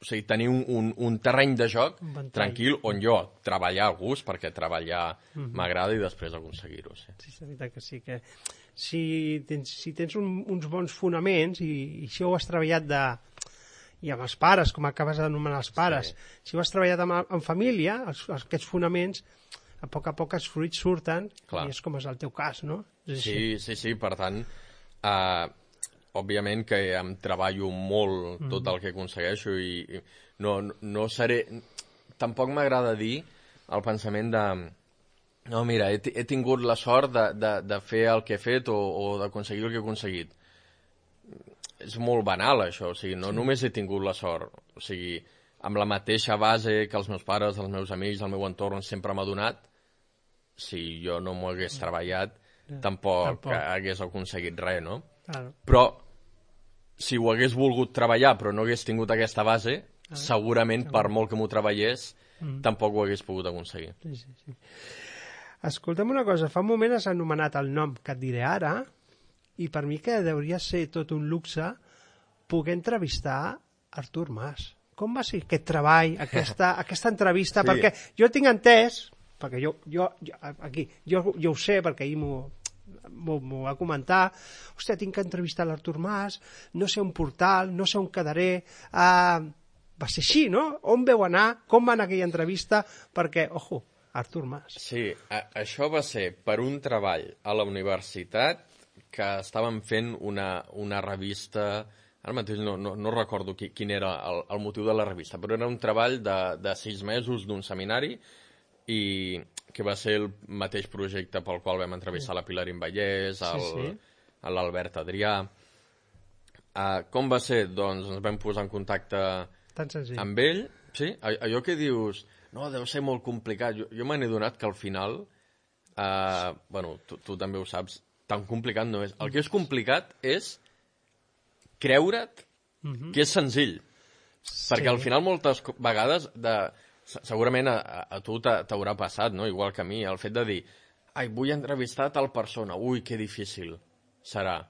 F: o sigui, tenir un terreny de joc tranquil on jo treballar a gust, perquè treballar m'agrada, i després aconseguir-ho.
E: Sí, és veritat que sí, que si tens uns bons fonaments, i si ho has treballat i amb els pares, com acabes d'anomenar els pares, si ho has treballat en família, aquests fonaments, a poc els fruits surten, i és com és el teu cas, no?
F: Sí, per tant, òbviament que em treballo molt tot el que aconsegueixo, i no seré... Tampoc m'agrada dir el pensament de... No, mira, he tingut la sort de fer el que he fet o d'aconseguir el que he aconseguit. És molt banal, això. O sigui, no només he tingut la sort. O sigui, amb la mateixa base que els meus pares, els meus amics, el meu entorn sempre m'ha donat, si jo no m'ho hagués treballat, tampoc hagués aconseguit res, no? Però si ho hagués volgut treballar però no hagués tingut aquesta base, segurament per molt que m'ho treballés tampoc ho hagués pogut aconseguir.
E: Sí. Escolta'm una cosa, fa un moment has anomenat el nom que et diré ara, i per mi que hauria ser tot un luxe poder entrevistar Artur Mas. Com va ser aquest treball, aquesta entrevista? Perquè jo tinc entès, perquè jo ho sé, perquè ahir m'ho va comentar, hòstia, tinc que entrevistar l'Artur Mas, no sé un portal, no sé on quedaré, va ser així, no? On veu anar? Com va anar aquella entrevista? Perquè, ojo, Artur Mas.
F: Sí, això va ser per un treball a la universitat que estàvem fent una revista. Ara mateix no recordo quin era el motiu de la revista, però era un treball de 6 mesos d'un seminari i que va ser el mateix projecte pel qual vam entrevistar la Pilar Vallès, l'Albert Adrià. Com va ser? Doncs ens vam posar en contacte amb ell. Sí, allò que dius, no, deu ser molt complicat. Jo me n'he donat que al final, bueno, tu també ho saps, tan complicat no és. El que és complicat és creure't que és senzill. Perquè al final moltes vegades, segurament a tu t'haurà passat, no? Igual que a mi, el fet de dir, ai, vull entrevistar tal persona, ui, que difícil serà.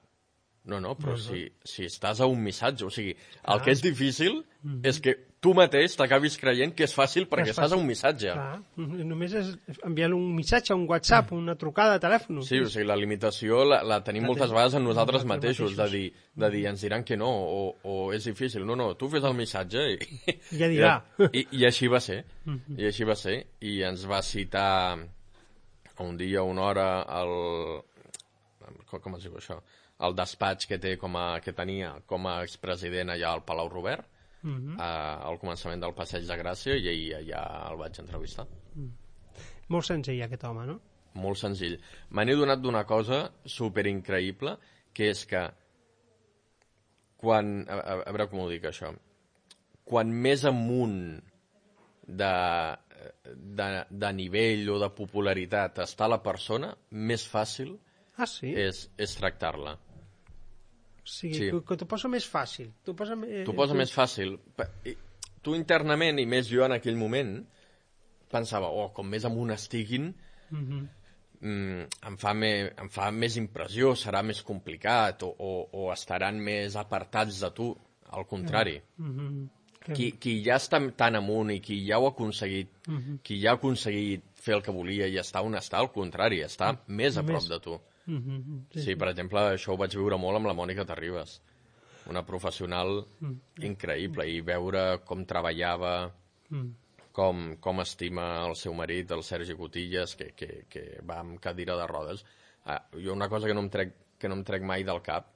F: No, però si estàs a un missatge, o sigui, el que és difícil és que tu mateix t'acabis creient que és fàcil perquè estàs a un missatge.
E: Només és enviar un missatge, un WhatsApp, una trucada de telèfon.
F: Sí, o sigui, la limitació la tenim moltes vegades en nosaltres mateixos, de dir, ens diran que no, o és difícil. No, tu fes el missatge i
E: ja dirà.
F: I així va ser. I així va ser. I ens va citar un dia, una hora, com es diu això? El despatx que tenia com a expresident allà al Palau Robert, al començament del Passeig de Gràcia, i ahir allà el vaig entrevistar.
E: Molt senzill, aquest home, no?
F: Molt senzill. Me n'he donat d'una cosa superincreïble, que és que quan... A veure com ho dic, això. Quan més amunt de nivell o de popularitat està la persona, més fàcil és tractar-la.
E: Sí, que t'ho posa més fàcil. T'ho posa
F: més fàcil. Tu internament, i més jo en aquell moment, pensava, com més amunt estiguin, em fa més impressió, serà més complicat, o estaran més apartats de tu. Al contrari. Qui ja està tan amunt i qui ja ho ha aconseguit, qui ja ha aconseguit fer el que volia i està on està, al contrari, està més a prop de tu. Sí, per exemple, això ho vaig viure molt amb la Mònica Terribas, una professional increïble, i veure com treballava, com estima el seu marit, el Sergi Cotillas, que va amb cadira de rodes. Jo una cosa que no em trec mai del cap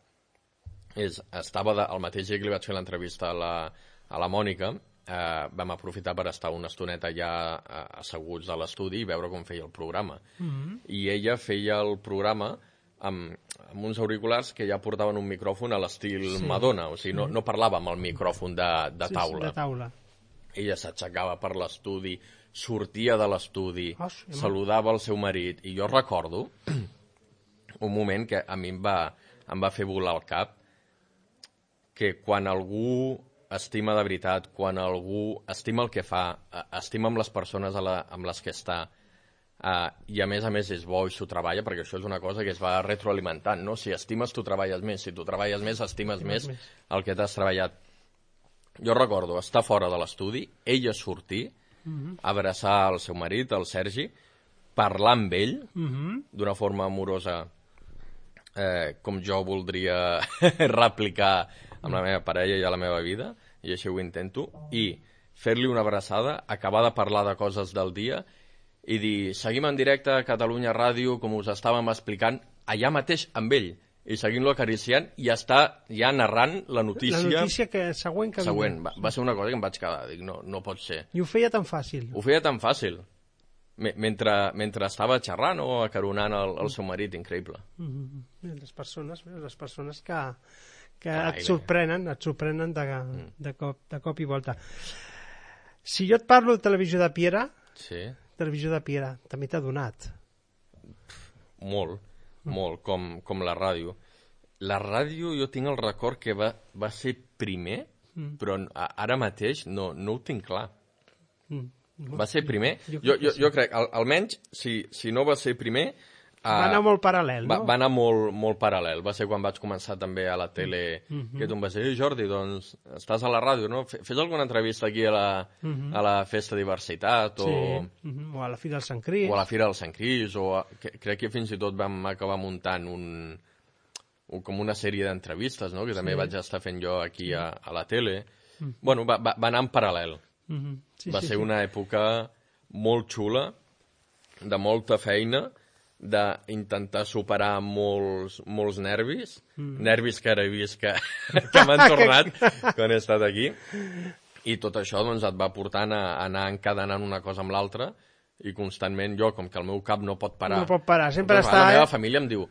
F: és, estava el mateix dia que li vaig fer l'entrevista a la Mònica, vam aprofitar per estar una estoneta ja asseguts a l'estudi i veure com feia el programa. I ella feia el programa amb uns auriculars que ja portaven un micròfon a l'estil Madonna, o sigui, no parlava amb el micròfon de taula. Ella s'aixecava per l'estudi, sortia de l'estudi, saludava el seu marit, i jo recordo un moment que a mi em va fer volar el cap, que quan algú estima de veritat, quan algú estima el que fa, estima amb les persones amb les que està, i a més és bo i s'ho treballa, perquè això és una cosa que es va retroalimentant, no? Si estimes, tu treballes més. Si tu treballes més, estimes més el que t'has treballat. Jo recordo estar fora de l'estudi, ella sortir, abraçar el seu marit, el Sergi, parlar amb ell d'una forma amorosa, com jo voldria replicar amb la meva parella i a la meva vida, i així ho intento, i fer-li una abraçada, acabar de parlar de coses del dia i dir, seguim en directe a Catalunya Ràdio, com us estàvem explicant, allà mateix amb ell, i seguint-lo acariciant, i està ja narrant la notícia...
E: La notícia següent que
F: següent. Va ser una cosa que em vaig quedar, dic, no pot ser.
E: I ho feia tan fàcil.
F: Ho feia tan fàcil. Mentre estava xerrant o acaronant el seu marit, increïble.
E: Les persones que et sorprenen de cop i volta. Si jo et parlo de Televisió de Piera, Televisió de Piera també t'ha donat.
F: Molt, com la ràdio. La ràdio jo tinc el record que va ser primer, però ara mateix no ho tinc clar. Va ser primer? Jo crec, almenys, si no va ser primer...
E: Va anar molt paral·lel, no?
F: Va anar molt paral·lel. Va ser quan vaig començar també a la tele, que tu em vas dir, Jordi, doncs estàs a la ràdio, no? Fes alguna entrevista aquí a la Festa Diversitat,
E: o a la Fira del Sant Cris.
F: O a la Fira del Sant Cris, crec que fins i tot vam acabar muntant com una sèrie d'entrevistes, no? Que també vaig estar fent jo aquí a la tele. Bueno, va anar en paral·lel. Va ser una època molt xula, de molta feina, d'intentar superar molts nervis, nervis que ara he vist que m'han tornat quan he estat aquí, i tot això doncs, et va portant a anar encadenant una cosa amb l'altra, i constantment jo, com que el meu cap no pot parar...
E: No pot parar, sempre
F: doncs,
E: està...
F: La meva família em diu,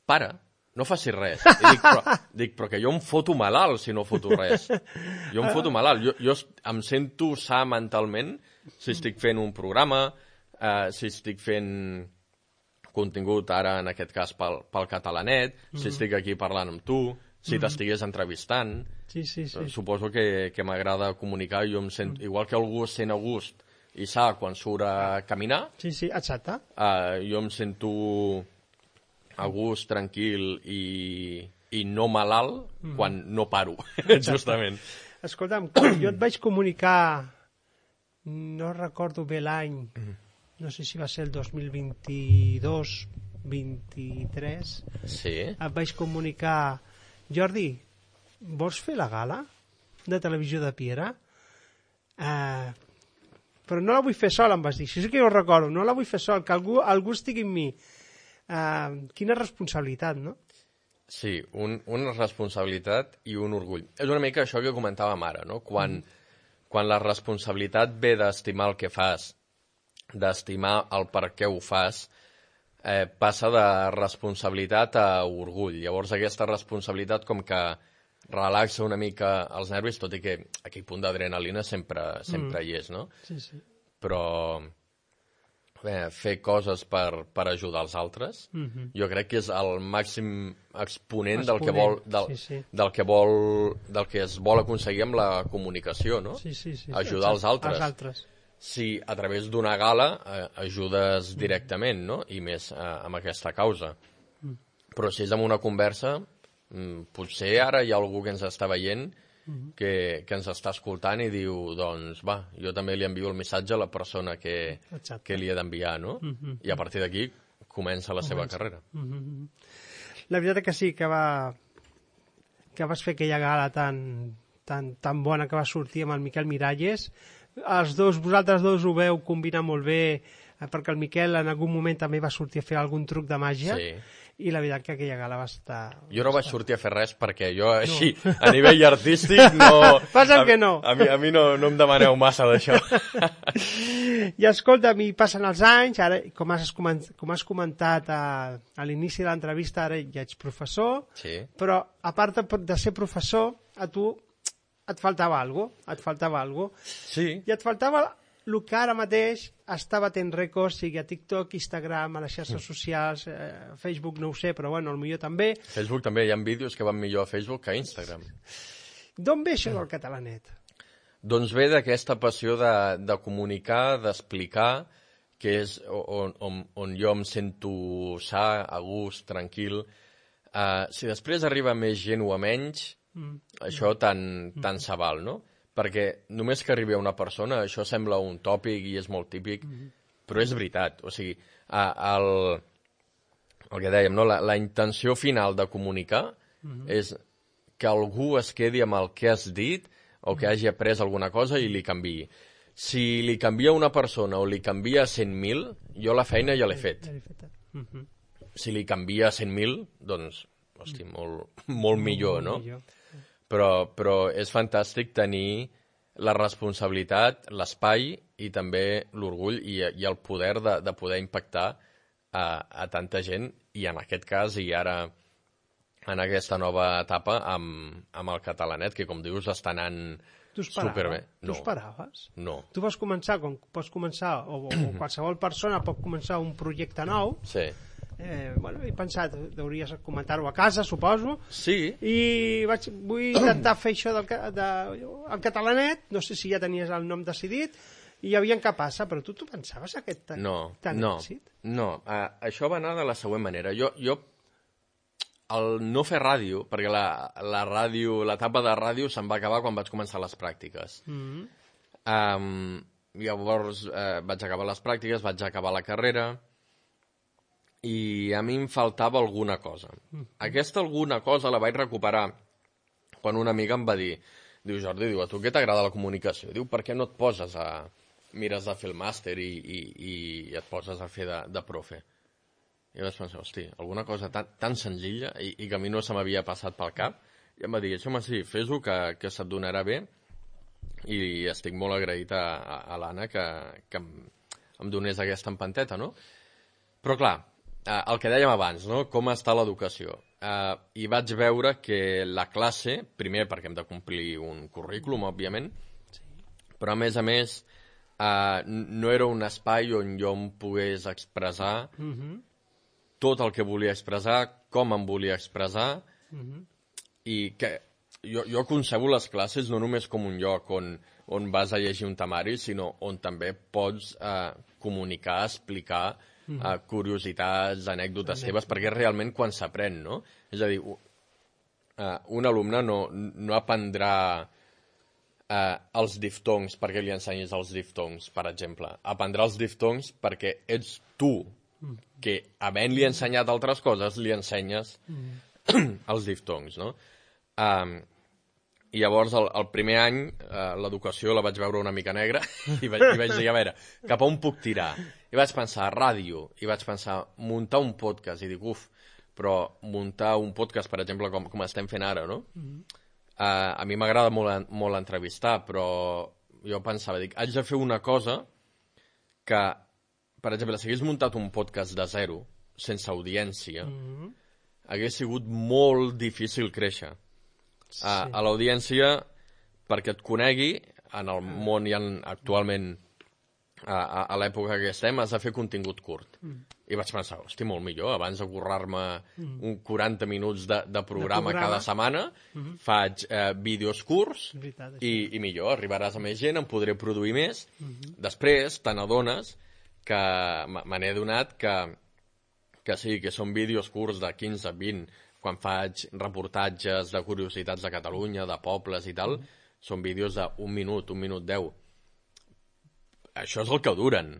F: para, no facis res. I dic, però que jo em foto malalt si no foto res. Jo em foto malalt. Jo em sento sa mentalment si estic fent un programa, si estic fent contingut, ara en aquest cas pel Catalanet, si estic aquí parlant amb tu, si t'estigués entrevistant.
E: Sí.
F: Suposo que m'agrada comunicar, jo em sento, igual que algú es sent a gust i sa quan surt a caminar,
E: Sí, exacte.
F: jo em sento a gust, tranquil i no malalt quan no paro, justament.
E: Escolta'm, quan jo et vaig comunicar, no recordo bé l'any, no sé si va ser el 2022, 23,
F: Sí.
E: et vaig comunicar, Jordi, vols fer la gala de televisió de Piera? Però no la vull fer sol, em vas dir. Això sí que jo ho recordo, no la vull fer sol, que algú estigui amb mi. Quina responsabilitat, no?
F: Sí, una responsabilitat i un orgull. És una mica això que comentàvem ara, no? Quan la responsabilitat ve d'estimar el que fas, d'estimar el per què ho fas, passa de responsabilitat a orgull. Llavors aquesta responsabilitat com que relaxa una mica els nervis, tot i que aquell punt d'adrenalina sempre hi és, no?
E: Sí.
F: Però fer coses per ajudar els altres, jo crec que és el màxim exponent del que es vol aconseguir amb la comunicació, no?
E: Sí.
F: Ajudar els altres. Si a través d'una gala ajudes directament, no? I més amb aquesta causa. Però si és amb una conversa, potser ara hi ha algú que ens està veient que ens està escoltant i diu, doncs va, jo també li envio el missatge a la persona que li he d'enviar, no? I a partir d'aquí comença la seva carrera.
E: La veritat és que sí, que vas fer aquella gala tan bona que va sortir amb el Miquel Miralles. Vosaltres dos ho veu combinar molt bé, perquè el Miquel en algun moment també va sortir a fer algun truc de màgia.
F: Sí.
E: I la veritat que aquella gala va estar...
F: Jo no vaig sortir a fer res perquè jo així, a nivell artístic, no...
E: Passa'm que no.
F: A mi no em demaneu massa d'això.
E: I escolta, mi passen els anys, ara, com has comentat a l'inici de l'entrevista, ara ja ets professor,
F: Sí.
E: però a part de ser professor, a tu et faltava alguna cosa.
F: Sí.
E: I et faltava el que ara mateix està batent rècords, sigui a TikTok, Instagram, a les xarxes socials, Facebook no ho sé, però bueno, potser també.
F: Facebook també, hi ha vídeos que van millor a Facebook que a Instagram.
E: D'on ve això del catalanet?
F: Doncs ve d'aquesta passió de comunicar, d'explicar, que és on jo em sento sa, a gust, tranquil. Si després arriba més gent o a menys, això tant se val, no? Perquè només que arribi a una persona, això sembla un tòpic i és molt típic, però és veritat. O sigui, el que dèiem, no? La intenció final de comunicar és que algú es quedi amb el que has dit o que hagi après alguna cosa i li canviï. Si li canvia una persona o li canvia 100.000, jo la feina ja l'he fet. Si li canvia 100.000, doncs, hosti, molt millor, no? Però és fantàstic tenir la responsabilitat, l'espai i també l'orgull i el poder de poder impactar a tanta gent i en aquest cas i ara en aquesta nova etapa amb el Catalanet, que com dius està anant superbé.
E: Tu esperaves?
F: No.
E: Tu vas començar, com pots començar, o qualsevol persona pot començar un projecte nou.
F: Sí.
E: He pensat, hauries comentar-ho a casa, suposo.
F: Sí.
E: I vull intentar fer això el Catalanet, no sé si ja tenies el nom decidit, i aviam què passa, però tu pensaves aquest tant èxit?
F: No, això va anar de la següent manera. Jo el no fer ràdio, perquè la ràdio, l'etapa de ràdio se'n va acabar quan vaig començar les pràctiques. Llavors vaig acabar les pràctiques, vaig acabar la carrera, i a mi em faltava alguna cosa. Aquesta alguna cosa la vaig recuperar quan una amiga em va dir Diu, Jordi, diu, a tu què t'agrada la comunicació? Diu, per què no et poses mires de fer el màster i et poses a fer de profe? I vaig pensar, hosti, alguna cosa tan senzilla i que a mi no se m'havia passat pel cap. I em va dir, home, sí, fes-ho, que se't donarà bé. I estic molt agraït a l'Anna que em donés aquesta empanteta, no? Però clar, el que dèiem abans, no? Com està l'educació? I vaig veure que la classe, primer perquè hem de complir un currículum, òbviament, però a més, no era un espai on jo em pogués expressar tot el que volia expressar, com em volia expressar, i que jo concebo les classes no només com un lloc on vas a llegir un temari, sinó on també pots comunicar, explicar curiositats, anècdotes teves, perquè és realment quan s'aprèn, no? És a dir, un alumne no aprendrà els diftongs perquè li ensenyis els diftongs, per exemple. Aprendrà els diftongs perquè ets tu, que havent-li ensenyat altres coses, li ensenyes els diftongs, no? I llavors, el primer any, l'educació la vaig veure una mica negra i vaig dir, a veure, cap a on puc tirar? I vaig pensar, ràdio, i vaig pensar, muntar un podcast, i dic, però muntar un podcast, per exemple, com estem fent ara, no? A mi m'agrada molt entrevistar, però jo pensava, dic, haig de fer una cosa que, per exemple, si hagués muntat un podcast de zero, sense audiència, hagués sigut molt difícil créixer. A l'audiència, perquè et conegui, en el món i actualment a l'època que estem, has de fer contingut curt. I vaig pensar, hosti, molt millor, abans de currar-me 40 minuts de programa cada setmana, faig vídeos curts i millor, arribaràs a més gent, em podré produir més. Després te n'adones que me n'he adonat que sí, que són vídeos curts de 15, 20, quan faig reportatges de curiositats de Catalunya, de pobles i tal, són vídeos d'1 minut, 1 minut 10. Això és el que duren.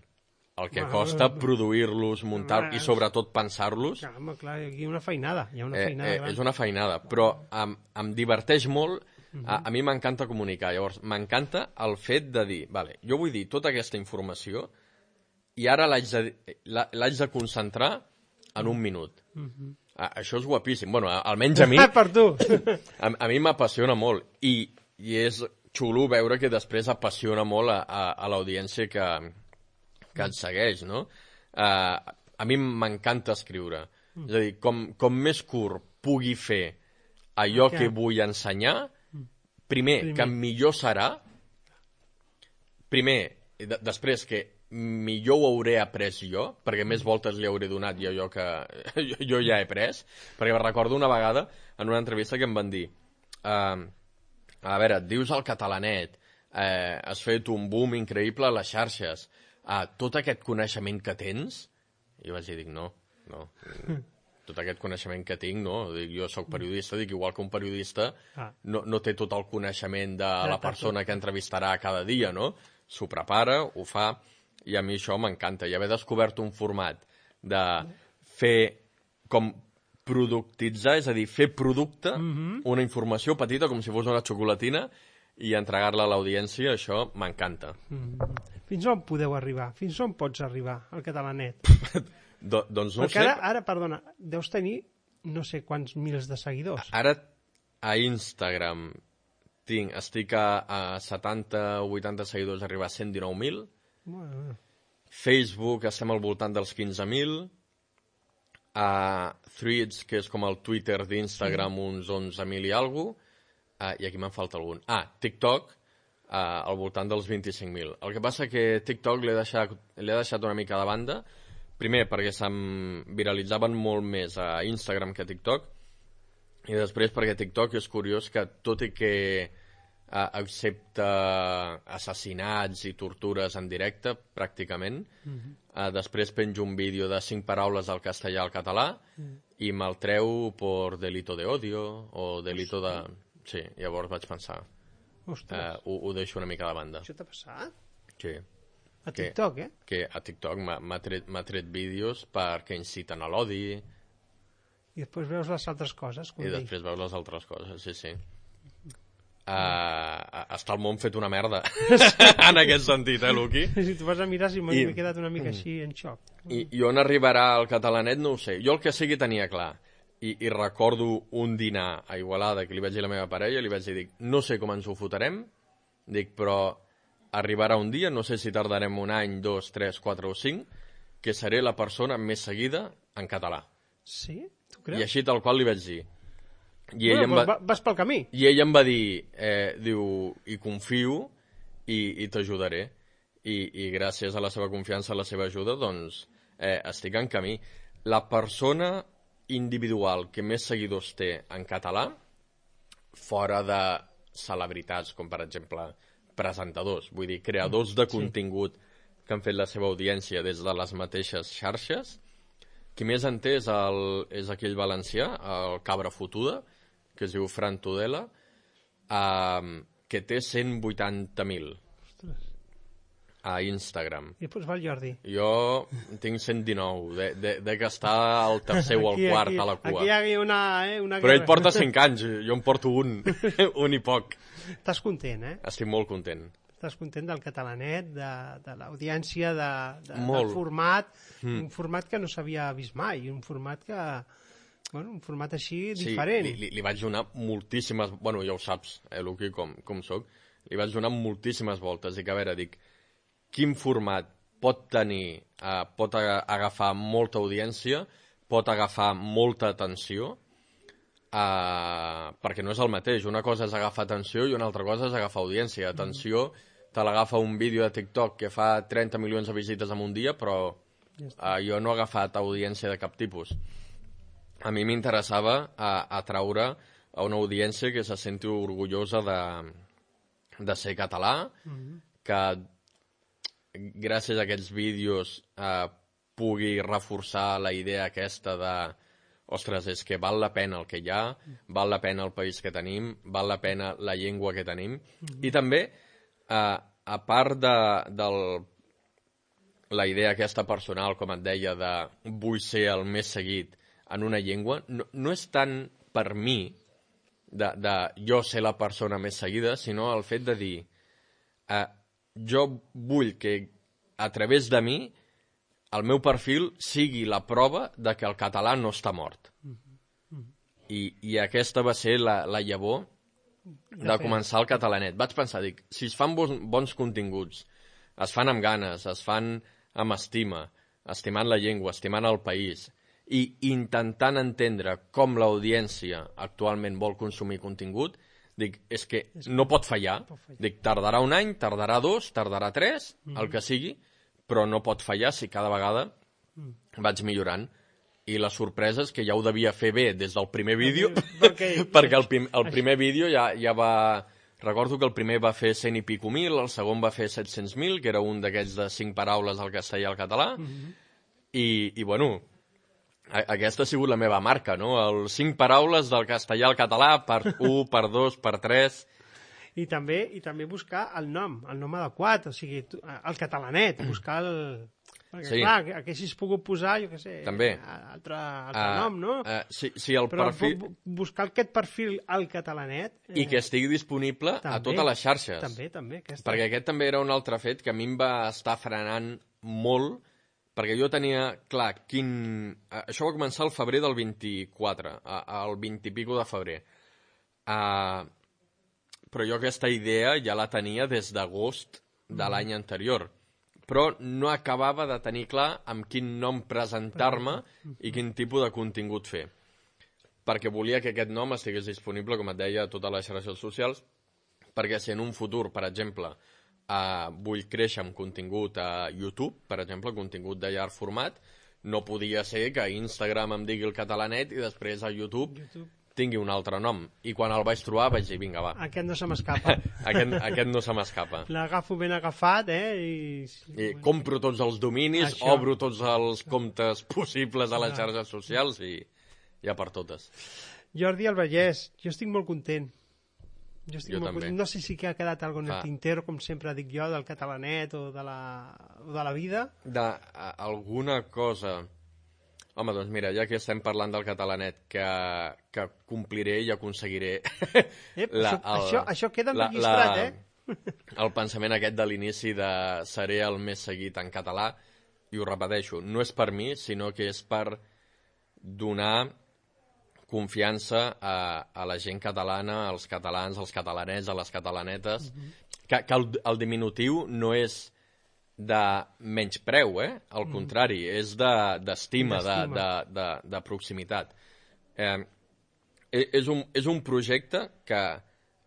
F: El que costa produir-los, muntar-los i sobretot pensar-los.
E: Clar, aquí hi ha una feinada.
F: És una feinada, però em diverteix molt. A mi m'encanta comunicar. Llavors, m'encanta el fet de dir, vale, jo vull dir tota aquesta informació i ara l'haig de concentrar en 1 minut. Això és guapíssim. Bueno, almenys a mi...
E: Per tu!
F: A mi m'apassiona molt. I és xulo veure que després apassiona molt a l'audiència que et segueix, no? A mi m'encanta escriure. És a dir, com més curt pugui fer allò que vull ensenyar, primer, que millor serà, després que millor ho hauré après jo, perquè més voltes li hauré donat i allò que jo ja he pres, perquè recordo una vegada en una entrevista que em van dir a veure, et dius el catalanet, has fet un boom increïble a les xarxes, tot aquest coneixement que tens, i vaig dir, no, tot aquest coneixement que tinc, no, jo soc periodista, dic, igual que un periodista no té tot el coneixement de la persona que entrevistarà cada dia, no? S'ho prepara, ho fa, i a mi això m'encanta. I haver descobert un format de fer com productitzar, és a dir, fer producte, una informació petita, com si fos una xocolatina, i entregar-la a l'audiència, això m'encanta.
E: Fins on podeu arribar? Fins on pots arribar, al catalanet?
F: Doncs no ho sé.
E: Perquè ara, perdona, deus tenir no sé quants mils de seguidors.
F: Ara, a Instagram, estic a 70-80 seguidors, arribar a 119.000. Facebook estem al voltant dels 15.000. Threads, que és com el Twitter d'Instagram, uns 11.000 i alguna cosa. I aquí me'n falta algun. TikTok, al voltant dels 25.000. El que passa que TikTok l'he deixat una mica de banda, primer perquè se'm viralitzaven molt més a Instagram que a TikTok, i després perquè TikTok és curiós que, tot i que accepta assassinats i tortures en directe, pràcticament, després penjo un vídeo de 5 paraules al castellà al català i me'l treu per delito de odio o delito de... Sí, llavors vaig pensar, ho deixo una mica de banda.
E: Això t'ha passat?
F: Sí.
E: A TikTok,
F: Que a TikTok m'ha tret vídeos perquè inciten a l'odi.
E: I després veus les altres coses.
F: I després veus les altres coses, sí. està el món fet una merda en aquest sentit, Luqui?
E: Si tu vas a mirar, si m'he quedat una mica així en xoc.
F: I on arribarà el catalanet no ho sé. Jo el que sí que tenia clar, i recordo un dinar a Igualada que li vaig dir a la meva parella, li vaig dir, dic, no sé com ens ho fotrem, dic, però arribarà un dia, no sé si tardarem un any, 2, 3, 4 o 5, que seré la persona més seguida en català.
E: Sí? Tu creus?
F: I així tal qual li vaig dir.
E: Vas pel camí.
F: I ell em va dir, diu, i confio i t'ajudaré. I gràcies a la seva confiança, a la seva ajuda, doncs estic en camí. La persona individual que més seguidors té en català, fora de celebritats, com per exemple presentadors, vull dir, creadors de contingut que han fet la seva audiència des de les mateixes xarxes, qui més en té és aquell valencià, el Cabra Fotuda, que es diu Fran Tudela, que té 180.000 a Instagram.
E: I després va el Jordi.
F: Jo tinc 119, que està al tercer o al quart a la cua.
E: Aquí hi ha una
F: Però ell porta 5 anys, jo en porto un i poc.
E: Estàs content, eh?
F: Estic molt content.
E: Estàs content del catalanet, de l'audiència,
F: del
E: format, un format que no s'havia vist mai, un format que... Bueno, un format així diferent.
F: Sí, li vaig donar moltíssimes... Bueno, ja ho saps, Luqui, com soc. Li vaig donar moltíssimes voltes. Dic, a veure, quin format pot tenir, pot agafar molta audiència, pot agafar molta atenció, perquè no és el mateix. Una cosa és agafar atenció i una altra cosa és agafar audiència. Atenció, te l'agafa un vídeo de TikTok que fa 30 milions de visites en un dia, però jo no he agafat audiència de cap tipus. A mi m'interessava atraure a una audiència que se senti orgullosa de ser català, que gràcies a aquests vídeos pugui reforçar la idea aquesta de ostres, és que val la pena el que hi ha, val la pena el país que tenim, val la pena la llengua que tenim. I també, a part de la idea aquesta personal, com et deia, de vull ser el més seguit en una llengua, no és tant per mi de jo ser la persona més seguida, sinó el fet de dir jo vull que a través de mi el meu perfil sigui la prova de que el català no està mort. I aquesta va ser la llavor de començar el catalanet. Vaig pensar, si es fan bons continguts, es fan amb ganes, es fan amb estima, estimant la llengua, estimant el país, i intentant entendre com l'audiència actualment vol consumir contingut, és que no pot fallar. Tardarà un any, tardarà 2, tardarà 3, el que sigui, però no pot fallar si cada vegada vaig millorant. I la sorpresa és que ja ho devia fer bé des del primer vídeo, perquè el primer vídeo ja va... Recordo que el primer va fer 100 i pico mil, el segon va fer 700.000, que era un d'aquests de 5 paraules al castellà i al català, i bueno, aquesta ha sigut la meva marca, no? El 5 paraules del castellà al català per 1, per 2, per 3...
E: I també buscar el nom adequat, o sigui, el catalanet, buscar el... Perquè, clar, que haguessis pogut posar, jo què sé, altre nom, no?
F: Sí, el perfil...
E: Però buscar aquest perfil al catalanet...
F: I que estigui disponible a totes les xarxes.
E: També.
F: Perquè aquest també era un altre fet que a mi em va estar frenant molt, perquè jo tenia clar Això va començar al febrer del 24, al 20 i pico de febrer. Però jo aquesta idea ja la tenia des d'agost de l'any anterior. Però no acabava de tenir clar amb quin nom presentar-me i quin tipus de contingut fer. Perquè volia que aquest nom estigués disponible, com et deia, a totes les xarxes socials, perquè si en un futur, per exemple, vull créixer amb contingut a YouTube, per exemple, contingut de llarg format, no podia ser que a Instagram em digui el catalanet i després a YouTube tingui un altre nom. I quan el vaig trobar vaig dir, vinga, va.
E: Aquest no se m'escapa.
F: Aquest no se m'escapa.
E: L'agafo ben agafat,
F: I compro tots els dominis, obro tots els comptes possibles a les xarxes socials i ja per totes.
E: Jordi al Vallès, jo estic molt content.
F: Jo també.
E: No sé si ha quedat alguna en el tintero, com sempre dic jo, del catalanet o de la vida.
F: Alguna cosa... Home, doncs mira, ja que estem parlant del catalanet, que compliré i aconseguiré...
E: Això queda enregistrat,
F: El pensament aquest de l'inici de seré el més seguit en català, i ho repeteixo, no és per mi, sinó que és per donar confiança a la gent catalana, als catalans, als catalanets, a les catalanetes, que el diminutiu no és de menyspreu, al contrari, és d'estima, de proximitat. És un projecte que,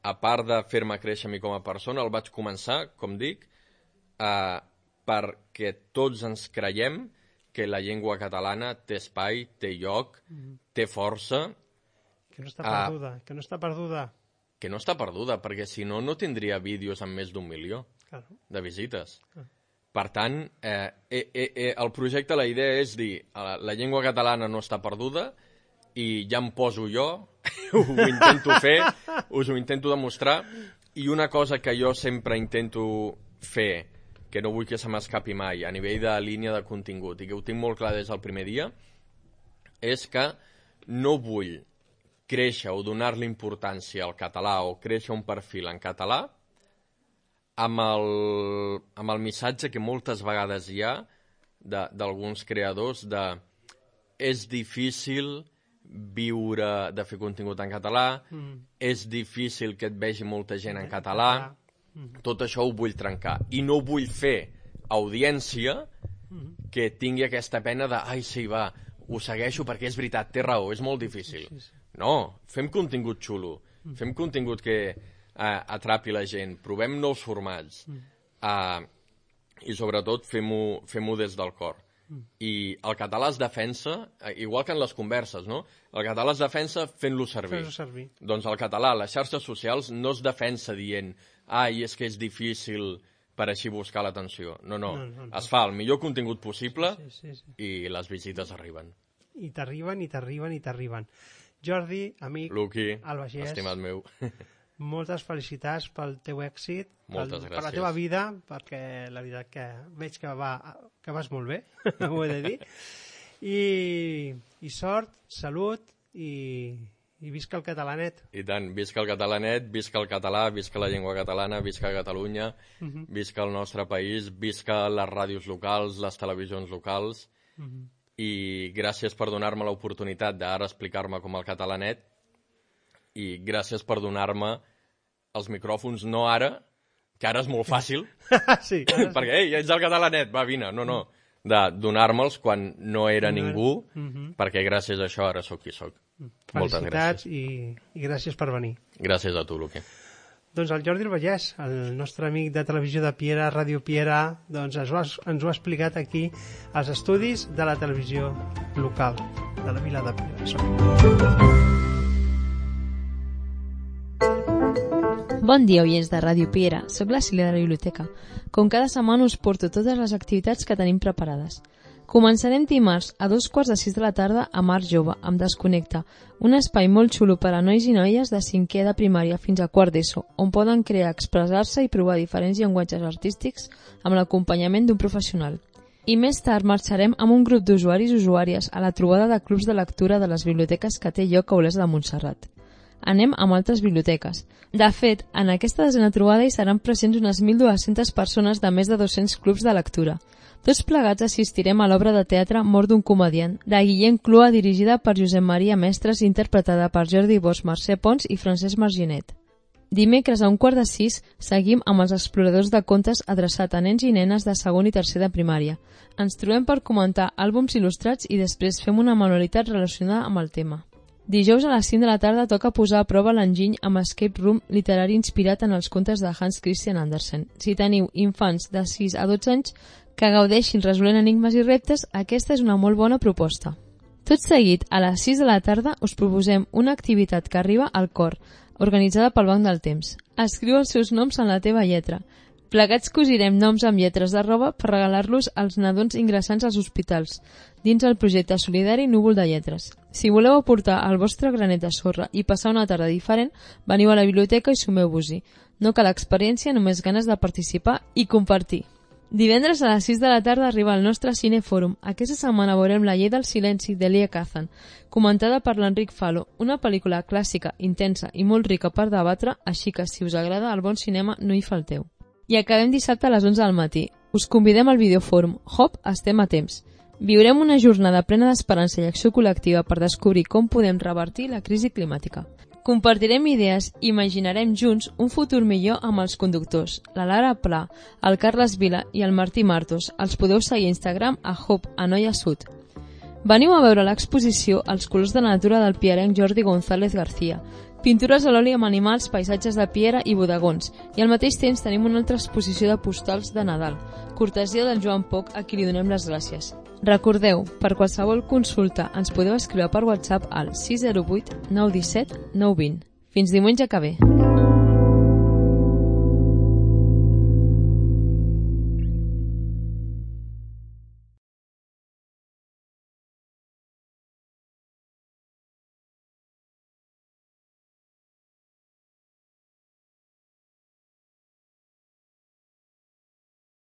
F: a part de fer-me créixer a mi com a persona, el vaig començar, com dic, perquè tots ens creiem que la llengua catalana té espai, té lloc, té força.
E: Que no està perduda, que no està perduda.
F: Que no està perduda, perquè si no, no tindria vídeos amb més d'1 milió de visites. Per tant, el projecte, la idea és dir, la llengua catalana no està perduda i ja em poso jo, ho intento fer, us ho intento demostrar, i una cosa que jo sempre intento fer, que no vull que se m'escapi mai, a nivell de línia de contingut, i que ho tinc molt clar des del primer dia, és que no vull créixer o donar-li importància al català o créixer un perfil en català amb el missatge que moltes vegades hi ha d'alguns creadors de és difícil viure de fer contingut en català, és difícil que et vegi molta gent en català, tot això ho vull trencar. I no vull fer audiència que tingui aquesta pena de ai, sí, va, ho segueixo perquè és veritat, té raó, és molt difícil. No, fem contingut xulo, fem contingut que atrapi la gent, provem nous formats i sobretot fem-ho des del cor. I el català es defensa, igual que en les converses, no? El català es defensa fent-lo servir. Doncs el català a les xarxes socials no es defensa dient ai, és que és difícil per així buscar l'atenció. No. Es fa el millor contingut possible i les visites arriben.
E: I t'arriben. Jordi, amic,
F: Luqui,
E: Albagés,
F: estimat meu.
E: Moltes felicitats pel teu èxit, per la teva vida, perquè la veritat que veig que vas molt bé, ho he de dir. I sort, salut i visca el catalanet.
F: I tant, visca el catalanet, visca el català, visca la llengua catalana, visca Catalunya, visca el nostre país, visca les ràdios locals, les televisions locals, i gràcies per donar-me l'oportunitat d'ara explicar-me com el catalanet, i gràcies per donar-me els micròfons, no ara, que ara és molt fàcil, perquè, ei, ets el catalanet, va, vine, no, de donar-me'ls quan no era ningú, perquè gràcies a això ara sóc qui sóc. Moltes gràcies.
E: I gràcies per venir.
F: Gràcies a tu, Luqui.
E: Doncs el Jordi Albagés, el nostre amic de televisió de Piera, Ràdio Piera, doncs ens ho ha explicat aquí als estudis de la televisió local de la vila de Piera.
G: Bon dia, oients de Ràdio Piera. Soc la Sílvia de la Biblioteca. Com cada setmana us porto totes les activitats que tenim preparades. Començarem dimarts a 2:45 de la tarda a Mar Jove, amb Desconnecta, un espai molt xulo per a nois i noies de 5è de primària fins a 4 d'ESO, on poden crear, expressar-se i provar diferents llenguatges artístics amb l'acompanyament d'un professional. I més tard marxarem amb un grup d'usuaris i usuàries a la trobada de clubs de lectura de les biblioteques que té lloc a Olesa de Montserrat. Anem amb altres biblioteques. De fet, en aquesta desena trobada hi seran presents unes 1.200 persones de més de 200 clubs de lectura. Tots plegats assistirem a l'obra de teatre Mort d'un comediant, de Guillem Clua, dirigida per Josep Maria Mestres, interpretada per Jordi Bosch, Mercè Pons i Francesc Marginet. Dimecres a 5:45 seguim amb els exploradors de contes adreçat a nens i nenes de segon i tercer de primària. Ens trobem per comentar àlbums il·lustrats i després fem una manualitat relacionada amb el tema. Dijous a les 5 de la tarda toca posar a prova l'enginy amb Escape Room, literari inspirat en els contes de Hans Christian Andersen. Si teniu infants de 6 a 12 anys que gaudeixin resolent enigmes i reptes, aquesta és una molt bona proposta. Tot seguit, a les 6 de la tarda, us proposem una activitat que arriba al cor, organitzada pel Banc del Temps. Escriu els seus noms en la teva lletra. Plegats cosirem noms amb lletres de roba per regalar-los als nadons ingressants als hospitals, dins el projecte solidari Núvol de Lletres. Si voleu aportar el vostre granet de sorra i passar una tarda diferent, veniu a la biblioteca i sumeu-vos-hi. No cal experiència, només ganes de participar i compartir. Divendres a les 6 de la tarda arriba al nostre Cinefòrum. Aquesta setmana veurem La llei del silenci d'Elia Kazan, comentada per l'Enric Falo, una pel·lícula clàssica, intensa i molt rica per debatre, així que si us agrada el bon cinema no hi falteu. I acabem dissabte a les 11 del matí. Us convidem al videofòrum Hop, estem a temps. Viurem una jornada plena d'esperança i acció col·lectiva per descobrir com podem revertir la crisi climàtica. Compartirem idees i imaginarem junts un futur millor amb els conductors, la Lara Pla, el Carles Vila i el Martí Martos. Els podeu seguir a Instagram a Hop, a Noia Sud. Veniu a veure l'exposició Els colors de la natura del pierenc Jordi González García, pintures a l'oli amb animals, paisatges de piera i bodegons, i al mateix temps tenim una altra exposició de postals de Nadal, cortesia del Joan Poc, a qui li donem les gràcies. Recordeu, per qualsevol consulta ens podeu escriure per WhatsApp al 608 917 920. Fins diumenge que ve.